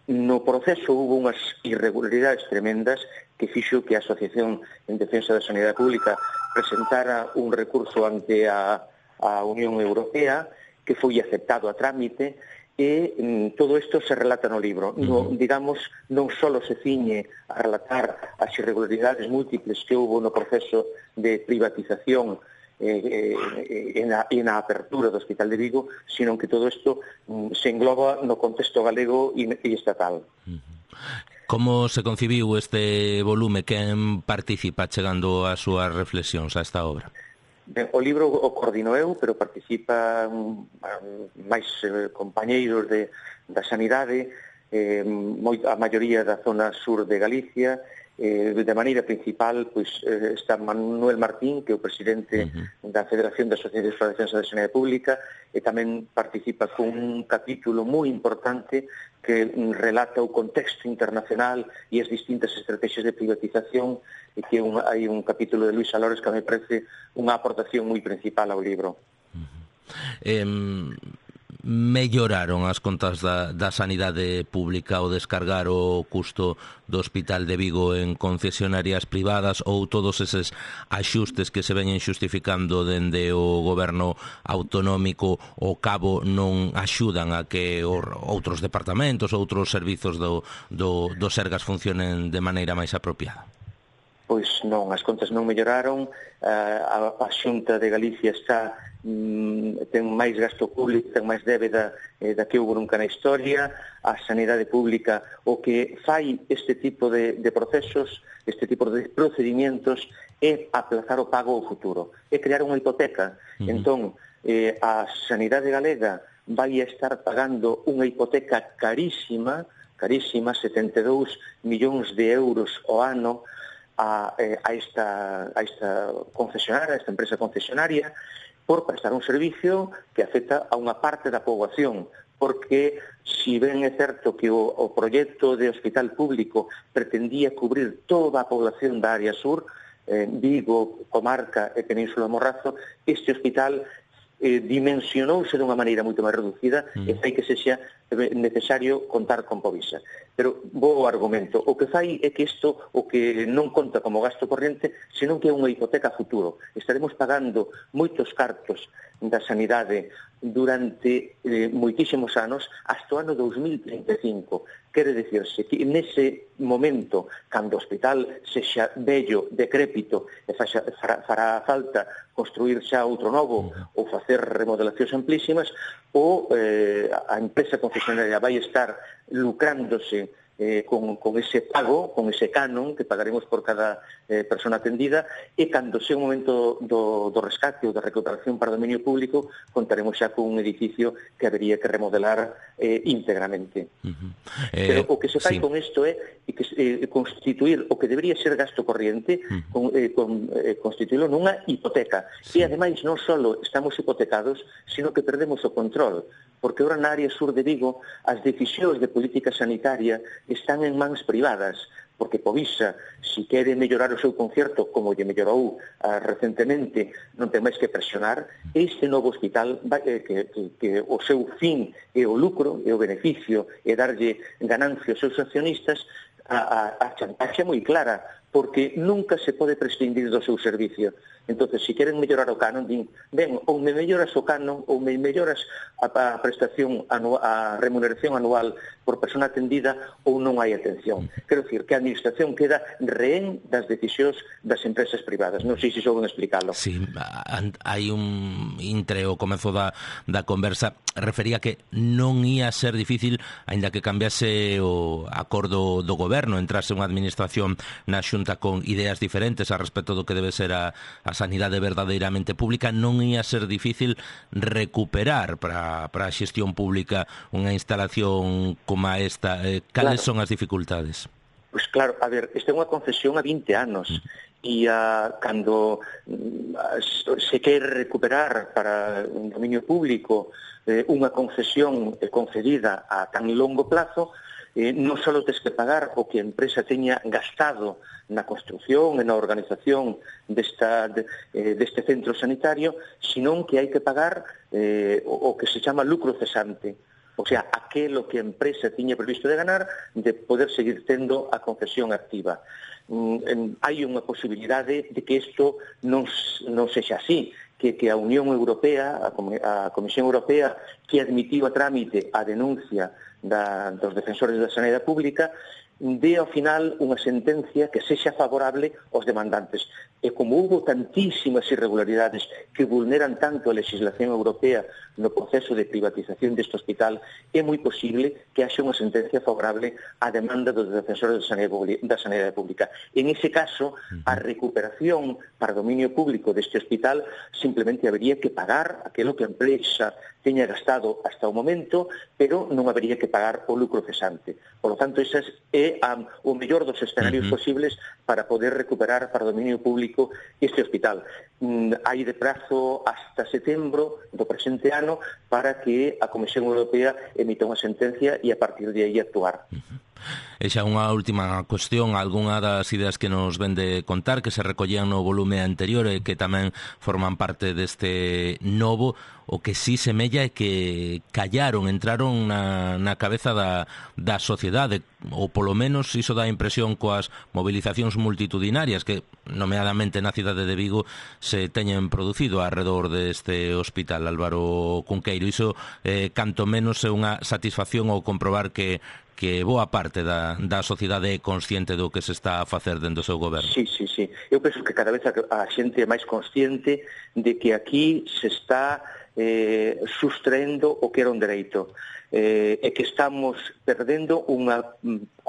[SPEAKER 3] No proceso hubo unhas irregularidades tremendas que fixo que a Asociación en Defensa da Sanidade Pública presentara un recurso ante a, a Unión Europea, que foi aceptado a trámite, e mm, todo isto se relata no libro. No, digamos, non só se ciñe a relatar as irregularidades múltiples que houve no proceso de privatización eh, eh, en, a, en a apertura do Hospital de Vigo, sino que todo isto mm, se engloba no contexto galego e, e estatal.
[SPEAKER 2] Como se concibiu este volume? Quen participa chegando as súas reflexións a esta obra?
[SPEAKER 3] Ben, o libro o coordino eu, pero participan máis eh, compañeiros de, da sanidade, eh, moi, a maioría da zona sur de Galicia. Eh, de maneira principal, pois, eh, está Manuel Martín, que é o presidente uh-huh. da Federación de Asociacións para a Defensa da Sanidade Pública, e tamén participa con un capítulo moi importante que relata o contexto internacional e as distintas estrategias de privatización, e que un, hai un capítulo de Luis Alores que me parece unha aportación moi principal ao libro.
[SPEAKER 2] Uh-huh. Eh... Melloraron as contas da, da sanidade pública ao descargar o custo do Hospital de Vigo en concesionarias privadas, ou todos eses axustes que se veñen xustificando dende o goberno autonómico ao cabo non axudan a que outros departamentos, outros servizos do, do, do Sergas funcionen de maneira máis apropiada?
[SPEAKER 3] Pois non, as contas non melloraron, a, a Xunta de Galicia está ten máis gasto público, ten máis débeda eh, da que houve nunca na historia. A sanidade pública o que fai este tipo de, de procesos, este tipo de procedimentos, é aplazar o pago ao futuro, é crear unha hipoteca. Uh-huh. Entón, eh, a sanidade galega vai a estar pagando unha hipoteca carísima, carísima, setenta e dous millóns de euros ao ano a, eh, a, esta, a esta concesionaria, a esta empresa concesionaria, por prestar un servicio que afecta a unha parte da poboación, porque si ben é certo que o, o proxecto de hospital público pretendía cubrir toda a población da área sur, eh, Vigo, Comarca e Península Morrazo, este hospital eh, dimensionouse dunha maneira moito máis reducida mm. e fai que sexa necesario contar con Povisa. Pero bo argumento, o que fai é que isto o que non conta como gasto corriente, senón que é unha hipoteca a futuro. Estaremos pagando moitos cartos da sanidade durante eh, moitísimos anos hasta o ano dos mil trinta e cinco. Quere dicirse que nese momento, cando o hospital sexa bello, decrépito e faxa, fará, fará falta construir xa outro novo ou facer remodelacións amplísimas, ou eh, a empresa concesionaria vai estar lucrándose eh, con, con ese pago, con ese canon que pagaremos por cada eh, persona atendida, e cando sea o momento do, do rescate ou da recuperación para o dominio público, contaremos xa con un edificio que habería que remodelar eh, íntegramente. Uh-huh. eh, Pero o que se fai sí. con isto é que, eh, constituir o que debería ser gasto corriente, uh-huh. con, eh, con, eh, constituílo nunha hipoteca. Sí. E ademais non só estamos hipotecados, sino que perdemos o control, porque ora na área sur de Vigo as decisións de política sanitaria están en mans privadas, porque Povisa, si quere mellorar o seu concerto, como lle mellorou uh, recentemente, non ten máis que presionar, este novo hospital, vai, eh, que, que, que o seu fin é o lucro, é o beneficio, é darlle ganancia aos seus accionistas, a, a, a chantaxe moi clara, porque nunca se pode prescindir do seu servicio. Entonces, se si queren mellorar o canon, din, ben, ou me melloras o canon, ou me melloras a, a prestación, anual, a remuneración anual por persona atendida, ou non hai atención. Quero dicir que a administración queda rehén das decisións das empresas privadas. Non sei se souben explicarlo.
[SPEAKER 2] Sí, hai un intre o comezo da, da conversa, refería que non ia ser difícil, aínda que cambiase o acordo do goberno, entrase unha administración na Xunta con ideas diferentes a respecto do que debe ser a, a sanidade verdadeiramente pública, non ia ser difícil recuperar para, para a xestión pública unha instalación como esta. Eh, cales claro. son as dificultades?
[SPEAKER 3] Pois pues claro, a ver, esta é unha concesión a vinte anos e uh, cando uh, se quer recuperar para un dominio público eh, unha concesión eh, concedida a tan longo plazo, eh, non só tens que pagar o que a empresa teña gastado na construción e na organización desta, de, eh, deste centro sanitario, senón que hai que pagar eh, o, o que se chama lucro cesante. O sea, aquelo que a empresa tiña previsto de ganar, de poder seguir tendo a concesión activa. Mm, hai unha posibilidade de que isto non, non sexa así, que, que a Unión Europea, a, a Comisión Europea, que admitiu a trámite a denuncia da, dos defensores da sanidade pública, dé ao final unha sentencia que sexa favorable aos demandantes. E como hubo tantísimas irregularidades que vulneran tanto a legislación europea no proceso de privatización deste hospital, é moi posible que haxa unha sentencia favorable á demanda dos defensores da sanidade pública. En ese caso, a recuperación para dominio público deste hospital simplemente habería que pagar aquilo que a empresa teña gastado hasta o momento, pero non habería que pagar o lucro cesante. Por lo tanto, ese é um, o mellor dos escenarios uh-huh. posibles para poder recuperar para dominio público este hospital. Mm, hai de prazo hasta setembro do presente ano para que a Comisión Europea emita unha sentencia e a partir de aí actuar.
[SPEAKER 2] Uh-huh. E xa unha última cuestión, algunha das ideas que nos ven de contar que se recollían no volume anterior e que tamén forman parte deste novo, o que sí semella é que callaron, entraron na, na cabeza da, da sociedade, ou polo menos iso dá a impresión coas movilizacións multitudinarias que, nomeadamente na cidade de Vigo, se teñen producido alrededor deste hospital. Álvaro Cunqueiro, iso eh, canto menos é unha satisfacción ao comprobar que que boa parte da, da sociedade é consciente do que se está a facer dentro do seu goberno.
[SPEAKER 3] Sí, sí, sí. Eu penso que cada vez a, a xente é máis consciente de que aquí se está eh, sustraendo o que era un dereito. Eh, e que estamos perdendo unha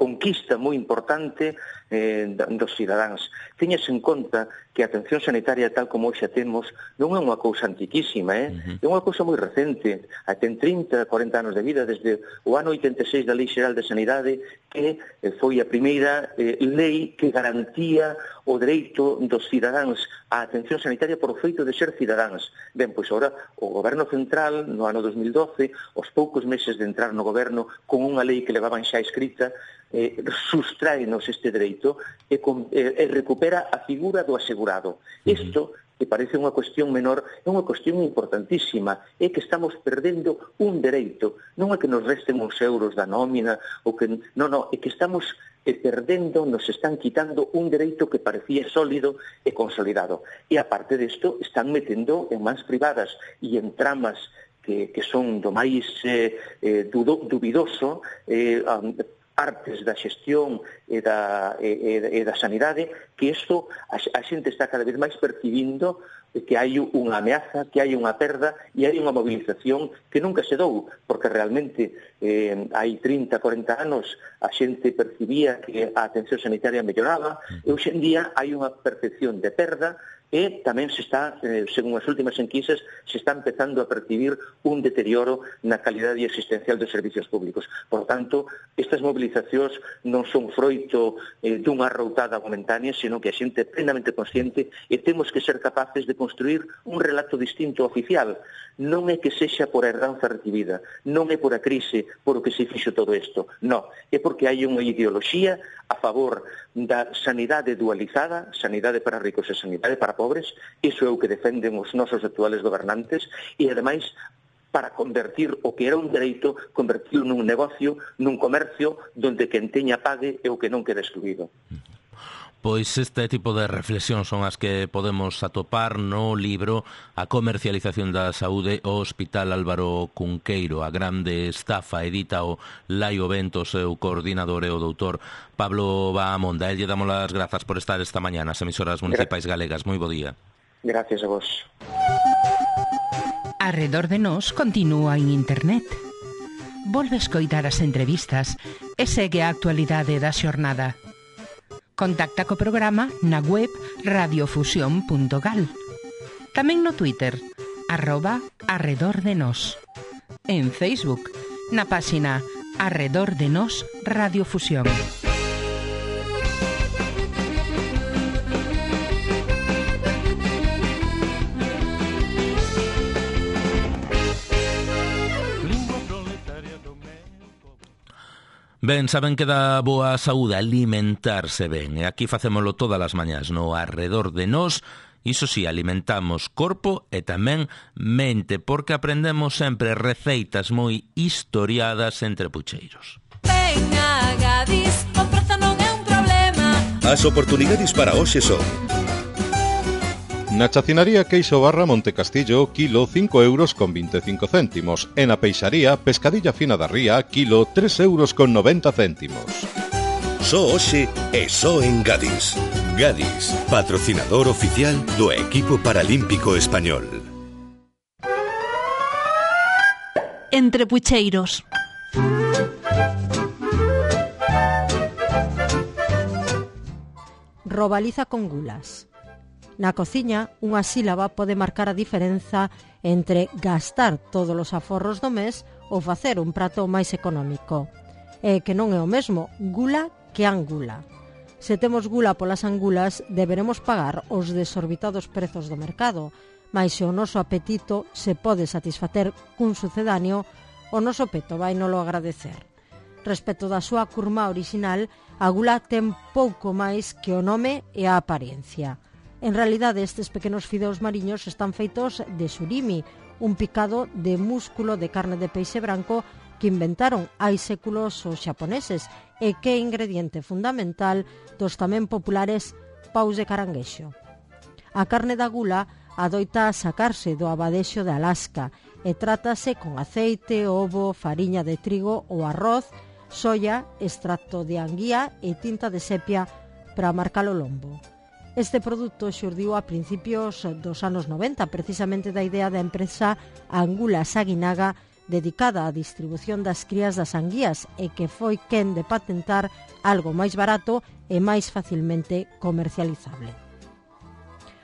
[SPEAKER 3] conquista moi importante eh, dos cidadáns. Teñase en conta que a atención sanitaria tal como hoxe a temos non é unha cousa antiquísima, eh? Uh-huh. É unha cousa moi recente. Ten trinta, cuarenta anos de vida desde o ano oitenta e seis da Lei Xeral de Sanidade, que eh, foi a primeira eh, lei que garantía o dereito dos cidadáns á atención sanitaria por feito de ser cidadáns. Ben, pois agora o Goberno Central, no ano dos mil doce, aos poucos meses de entrar no Goberno, con unha lei que levaban xa escrita, eh, sustráenos este dereito e, con, eh, e recupera a figura do asegurado. Isto, que parece unha cuestión menor, é unha cuestión importantísima, é que estamos perdendo un dereito, non é que nos resten uns euros da nómina, ou que, non, non, é que estamos e perdendo, nos están quitando un dereito que parecía sólido e consolidado. E aparte desto, están metendo en mans privadas e en tramas que, que son do máis eh, eh, dudo, dubidoso, eh, um, artes da xestión e da, e, e da sanidade, que isto a, a xente está cada vez máis percibindo que hai unha ameaza, que hai unha perda e hai unha movilización que nunca se dou, porque realmente eh, hai trinta, cuarenta anos a xente percibía que a atención sanitaria melloraba e hoxe en día hai unha percepción de perda e tamén se está, eh, según as últimas enquisas, se está empezando a percibir un deterioro na calidade existencial dos servicios públicos. Por tanto, estas movilizacións non son froito eh, dunha arroutada momentánea, sino que a xente é plenamente consciente e temos que ser capaces de construir un relato distinto oficial. Non é que sexa por a herdanza recibida, non é por a crise por o que se fixo todo isto, non, é porque hai unha ideoloxía a favor da sanidade dualizada, sanidade para ricos e sanidade para pobres, iso é o que defenden os nosos actuales gobernantes, e ademais para convertir o que era un dereito, convertirlo nun negocio, nun comercio, donde quen teña pague e o que non queda excluído.
[SPEAKER 2] Pois este tipo de reflexións son as que podemos atopar no libro A comercialización da saúde ao Hospital Álvaro Cunqueiro, a grande estafa, edita o Laio Bento, seu coordinador e o doutor Pablo Bahamonda. El lle damos as grazas por estar esta mañá nas emisoras municipais galegas. Moi bo día.
[SPEAKER 3] Gracias a vos.
[SPEAKER 4] Arredor de nós continúa en internet. Volve a escoitar as entrevistas e segue a actualidade da xornada. Contacta co programa na web radiofusión punto gal. Tamén no Twitter, arroba Arredor de Nós. En Facebook, na páxina Arredor de Nós Radiofusión.
[SPEAKER 2] Ben, saben que dá boa saúde alimentarse ben, e aquí facémolo todas as mañás no Arredor de Nós. Iso sí, alimentamos corpo e tamén mente, porque aprendemos sempre receitas moi historiadas entre pucheiros.
[SPEAKER 5] Venga, Gadis, o prezo non é un problema.
[SPEAKER 6] As oportunidades para hoxe son: na chacinaría Queixo Barra Montecastillo, kilo cinco euros con veinticinco céntimos. E na peixaría Pescadilla Fina da Ría, kilo tres euros con noventa céntimos. Só hoxe e só en Gadis. Gadis, patrocinador oficial do equipo paralímpico español.
[SPEAKER 7] Entre pucheiros. Robaliza con gulas. Na cociña, unha sílaba pode marcar a diferenza entre gastar todos os aforros do mes ou facer un prato máis económico. E que non é o mesmo gula que angula. Se temos gula polas angulas, deberemos pagar os desorbitados prezos do mercado, mas se o noso apetito se pode satisfacer cun sucedáneo, o noso peto vai nolo agradecer. Respecto da súa curma original, a gula ten pouco máis que o nome e a apariencia. En realidade, estes pequenos fideos mariños están feitos de surimi, un picado de músculo de carne de peixe branco que inventaron hai séculos os xaponeses e que é ingrediente fundamental dos tamén populares paus de caranguexo. A carne da gula adoita sacarse do abadexo de Alaska e trátase con aceite, ovo, fariña de trigo ou arroz, soia, extracto de anguía e tinta de sepia para marcar o lombo. Este produto xurdiu a principios dos anos noventa, precisamente da idea da empresa Angula Saguinaga dedicada á distribución das crías das anguías e que foi quen de patentar algo máis barato e máis facilmente comercializable.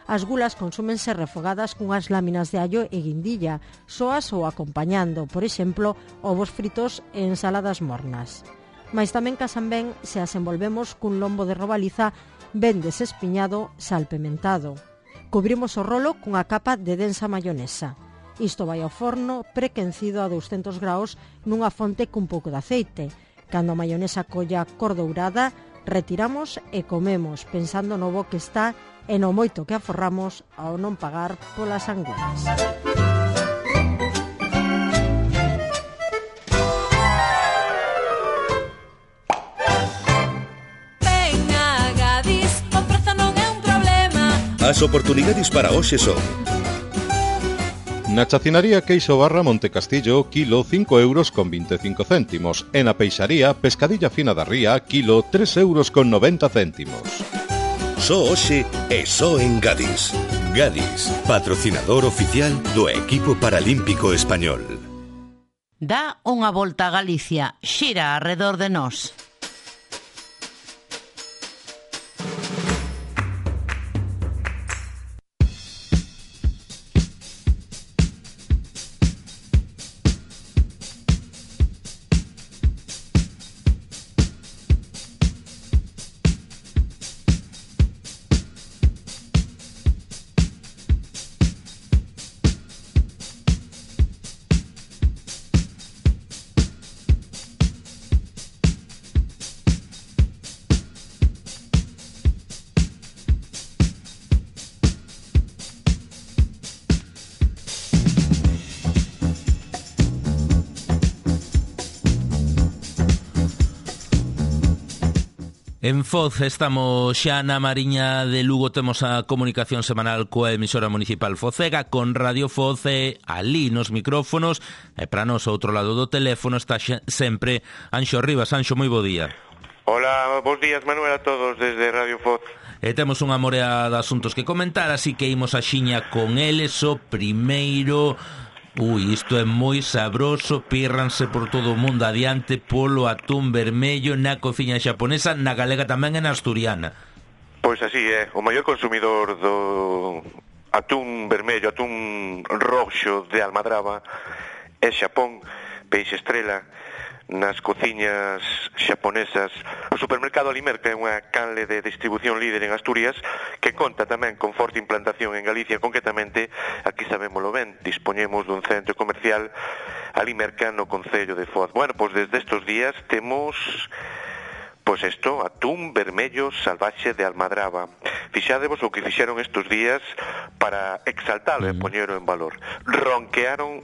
[SPEAKER 7] As gulas consúmense refogadas cunhas láminas de allo e guindilla, soas ou acompañando, por exemplo, ovos fritos e ensaladas mornas. Mais tamén casan ben se as envolvemos cun lombo de robaliza ben desespiñado, salpementado. Cubrimos o rolo cunha capa de densa mayonesa. Isto vai ao forno prequencido a douscentos graus nunha fonte cun pouco de aceite. Cando a mayonesa colla cor dourada, retiramos e comemos pensando no bo que está e no moito que aforramos ao non pagar polas angulas.
[SPEAKER 8] As oportunidades para hoxe son:
[SPEAKER 6] na chacinaría Queixo Barra Montecastillo, kilo cinco euros con veinticinco céntimos. E na peixaría Pescadilla Fina da Ría, kilo tres euros con noventa céntimos.
[SPEAKER 8] Só hoxe e só en Gadis. Gadis, patrocinador oficial do equipo paralímpico español.
[SPEAKER 15] Dá unha volta a Galicia, xira arredor de nós.
[SPEAKER 2] En Foz estamos xa na Mariña de Lugo, temos a comunicación semanal coa emisora municipal focega con Radio Foz e ali nos micrófonos e para nos outro lado do teléfono está sempre Anxo Rivas. Anxo, moi bo día.
[SPEAKER 9] Hola, bons días Manuel a todos desde Radio Foz.
[SPEAKER 2] E temos unha morea de asuntos que comentar, así que imos a xiña con eles. O primeiro... Ui, isto é moi sabroso, pírranse por todo o mundo adiante polo atún vermello na cociña xaponesa, na galega tamén e na asturiana.
[SPEAKER 9] Pois así é, o maior consumidor do atún vermello, atún roxo de almadraba é Xapón, peixe estrela nas cociñas xaponesas. O supermercado Alimerca é unha canle de distribución líder en Asturias que conta tamén con forte implantación en Galicia, concretamente, aquí sabémolo ben, dispoñemos dun centro comercial Alimerca no concello de Foz. Bueno, pois desde estes días temos pois isto, atún vermello salvaxe de almadraba. Fixádevos o que fixeron estes días para exaltalo e poñero en valor. Ronquearon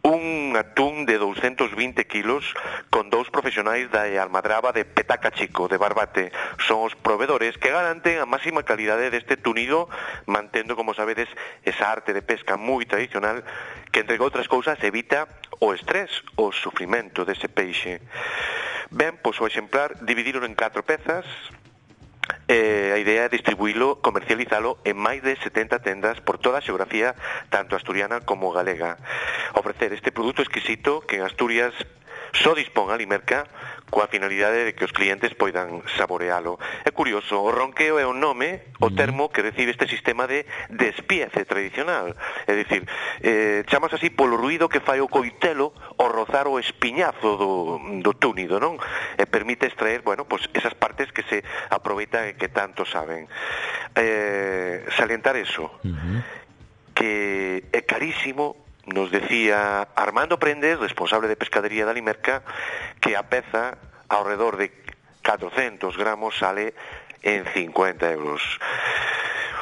[SPEAKER 9] un atún de doscientos vinte kilos con dous profesionais da almadraba de Petaca Chico, de Barbate. Son os provedores que garanten a máxima calidade deste tunido, mantendo, como sabedes, esa arte de pesca moi tradicional que, entre outras cousas, evita o estrés, o sufrimento dese peixe. Ben, pois o exemplar dividíron en catro pezas. Eh, a idea é distribuílo, comercializalo en máis de setenta tendas por toda a xeografía, tanto asturiana como galega. Ofrecer este produto exquisito que en Asturias só dispón a Alimerca coa finalidade de que os clientes poidan saborealo. É curioso, o ronqueo é o nome, o termo que recibe este sistema de despiece tradicional. É dicir, eh, chamas así polo ruido que fai o coitelo ao rozar o espiñazo do, do túnido, non? E permite extraer, bueno, pues esas partes que se aproveitan e que tanto saben. Eh, salientar eso, uh-huh. que é carísimo. Nos decía Armando Prendes, responsable de pescadería de Alimerca, que a peza, ao redor de catrocentos gramos, sale en cincuenta euros.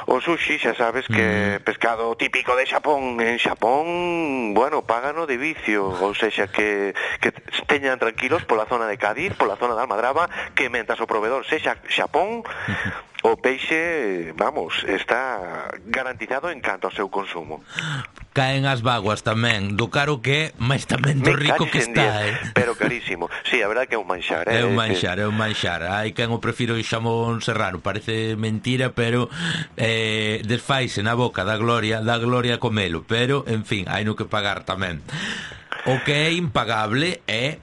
[SPEAKER 9] O sushi, xa sabes que é pescado típico de Xapón. En Xapón, bueno, págano de vicio. Ou seja, que, que teñan tranquilos pola zona de Cádiz, pola zona de Almadraba, que mentras o proveedor sexa Xapón, o peixe, vamos, está garantizado en canto ao seu consumo.
[SPEAKER 2] Caen as vaguas tamén, do caro que é, mas tamén do rico que está, eh?
[SPEAKER 9] Pero carísimo. Sí, a verdade que é un manxar, eh?
[SPEAKER 2] É un manxar, é un manxar. Hai quen o prefiro o xamón serrano, parece mentira, pero eh, desfaise na boca da gloria, da gloria comelo, pero, en fin, hai no que pagar tamén. O que é impagable é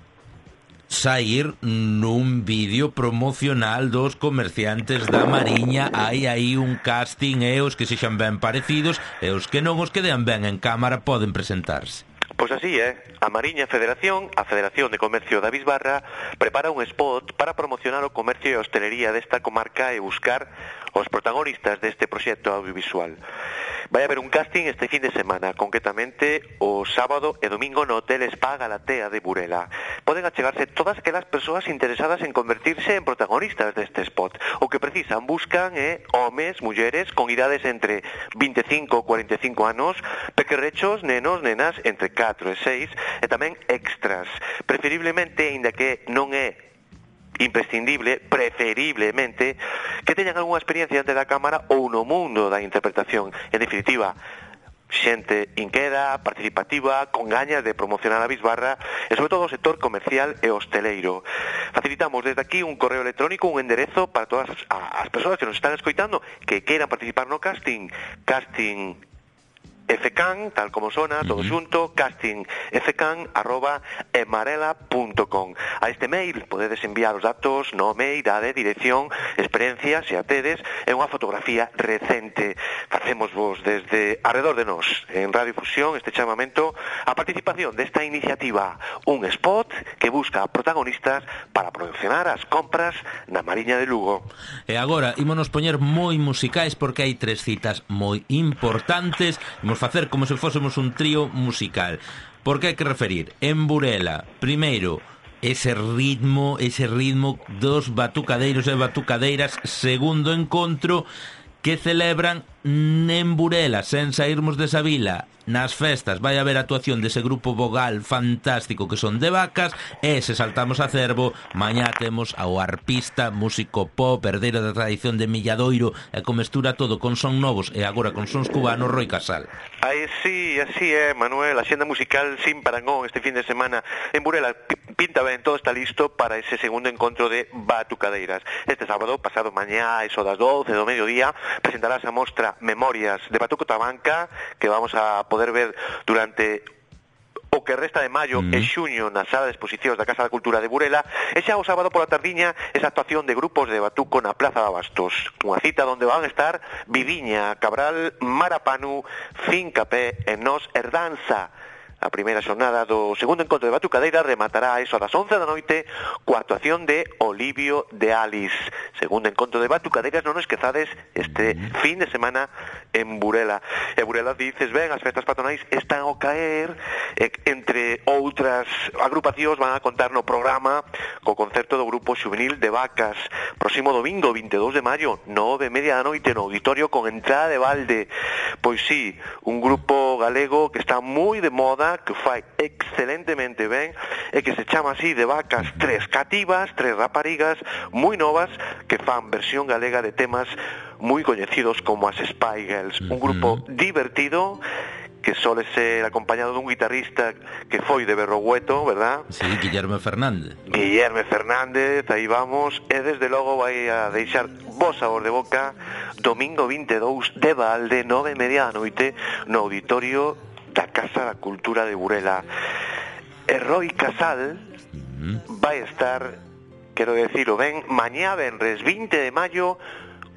[SPEAKER 2] sair nun vídeo promocional dos comerciantes da Mariña. Hai aí un casting, e os que sexan ben parecidos e os que non, os que dean ben en cámara, poden presentarse.
[SPEAKER 9] Pois así é, a Mariña Federación, a Federación de Comercio da Bisbarra, prepara un spot para promocionar o comercio e a hostelería desta comarca e buscar os protagonistas deste proxecto audiovisual. Vai haber un casting este fin de semana, concretamente o sábado e domingo no Hotel Spa Galatea de Burela. Poden achegarse todas aquelas persoas interesadas en convertirse en protagonistas deste spot. O que precisan, buscan é homes, mulleres con idades entre vinte e cinco e cuarenta e cinco anos, pequerrechos, nenos, nenas entre catro e seis, e tamén extras. Preferiblemente, aínda que non é imprescindible, preferiblemente, que teñan algunha experiencia ante da cámara ou no mundo da interpretación. En definitiva, xente inqueda, participativa, con gañas de promocionar a Bisbarra e sobre todo o sector comercial e hosteleiro. Facilitamos desde aquí un correo electrónico, un enderezo para todas as persoas que nos están escoitando que queiran participar no casting. Casting fcan, tal como sona, todo xunto, castingfcan arroba emarela punto com. A este mail podedes enviar os datos, nome, idade, dirección, experiencia, se a tedes, e unha fotografía recente. Facemos vos desde arredor de nós, en Radio Fusión, este chamamento a participación desta iniciativa, un spot que busca protagonistas para promocionar as compras na Mariña de Lugo.
[SPEAKER 2] E agora, ímonos poñer moi musicais porque hai tres citas moi importantes. Imos facer como se fósemos un trío musical. Por que hai que referir? En Burela, primeiro, ese ritmo, ese ritmo dos batucadeiros e batucadeiras, segundo encontro que celebran en Burela, sen sairmos desa vila. Nas festas vai haber actuación dese grupo vogal fantástico que son de Vacas, e se saltamos a Cervo, mañá temos ao arpista, músico pop, herdeiro da tradición de Milladoiro, e que mestura todo con son novos e agora con sons cubanos, Roi Casal.
[SPEAKER 9] Aí sí, así é, Manuel, a xenda musical sin parangón este fin de semana en Burela. Pinta ben, todo está listo para ese segundo encontro de batucadeiras. Este sábado, pasado mañá, eso das doce do mediodía, presentarás a mostra Memorias de Batuco Tabanca, que vamos a poder ver durante o que resta de maio mm. e xuño na sala de exposicións da Casa da Cultura de Burela, e xa o sábado pola tardiña esa actuación de grupos de batuco na Plaza de Abastos, unha cita onde van a estar Viviña, Cabral, Marapanu, Fincapé e Nos Herdanza. A primeira xornada do segundo encontro de batucadeira rematará a eso das once da noite coa actuación de Olivio de Alice. Segundo encontro de batucadeiras, non esquezades este fin de semana en Burela. E Burela, dices ben, as festas patronais están ao caer, e, entre outras agrupacións van a contar no programa co concerto do grupo xuvenil de Vacas. Próximo domingo, vinte e dous de maio, nove e media da noite no auditorio con entrada de balde. Pois sí, un grupo galego que está moi de moda, que fai excelentemente ben e que se chama así de Vacas, tres cativas, tres raparigas moi novas que fan versión galega de temas moi coñecidos como as Spy Girls, un grupo divertido que sole ser acompañado dun guitarrista que foi de Berrogueto, verdad?
[SPEAKER 2] Sí, Guillermo Fernández.
[SPEAKER 9] Guillermo Fernández, aí vamos, e desde logo vai a deixar bo sabor de boca domingo vinte e dous de balde, nove e media da noite, no auditorio da Casa da Cultura de Burela. E Roi Casal vai estar, quero decirlo ben, mañá venres vinte de maio,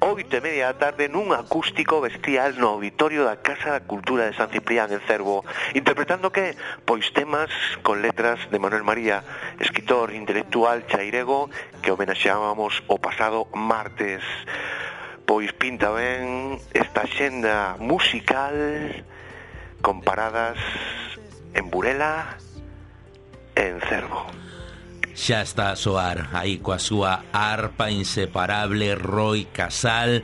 [SPEAKER 9] oito e media da tarde, nun acústico bestial no auditorio da Casa da Cultura de San Ciprián en Cervo, interpretando que? Pois temas con letras de Manuel María, escritor intelectual chairego que homenaxeábamos o pasado martes. Pois pinta ben esta xenda musical con paradas en Burela e en Cervo.
[SPEAKER 2] Xa está a soar aí coa súa arpa inseparable Roi Casal,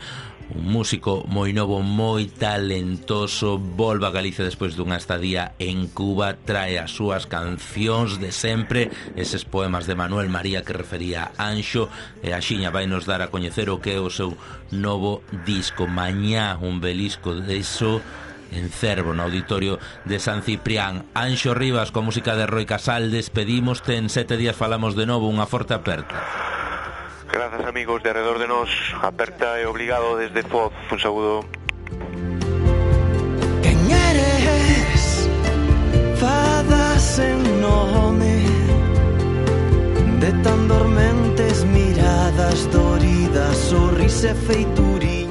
[SPEAKER 2] un músico moi novo, moi talentoso, volva a Galicia despois dunha estadía en Cuba, trae as súas cancións de sempre, eses poemas de Manuel María que refería Anxo, e a xiña vai nos dar a coñecer o que é o seu novo disco. Mañá un belisco de iso en Cervo, no auditorio de San Ciprián. Anxo Rivas, con música de Roi Casal, despedímoste. En sete días falamos de novo. Unha forte aperta.
[SPEAKER 9] Grazas, amigos de Arredor de Nós. Aperta e obrigado desde Foz. Un saúdo.
[SPEAKER 23] Quen eres? Fadas en
[SPEAKER 10] home de tan dormentes miradas doridas, sorrise feituriña.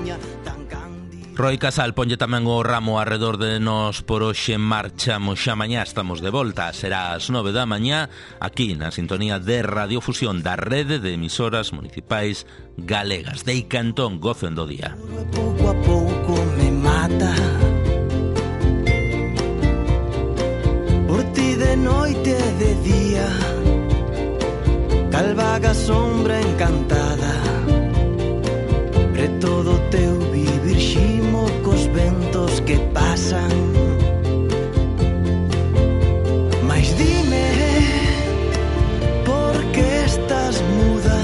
[SPEAKER 2] Roi Casal ponlle tamén o ramo arredor de nós por hoxe. Marchamos xa mañá, estamos de volta. Será ás nove da mañá aquí na sintonía de Radiofusión da Rede de Emisoras Municipais Galegas. Dei Cantón, gocen do día.
[SPEAKER 10] Pouco a pouco me mata por ti de noite e de día, cal vaga sombra encantada preto do teu vivir ximo cos ventos que pasan. Mais dime, por que estás muda?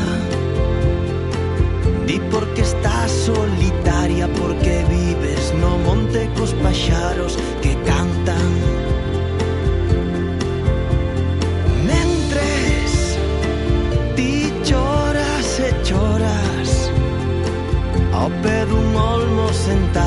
[SPEAKER 10] Di por que estás solitaria, porque vives no monte cos paxaros que cantan. Mentres ti choras e choras ao pé dun olmo sentado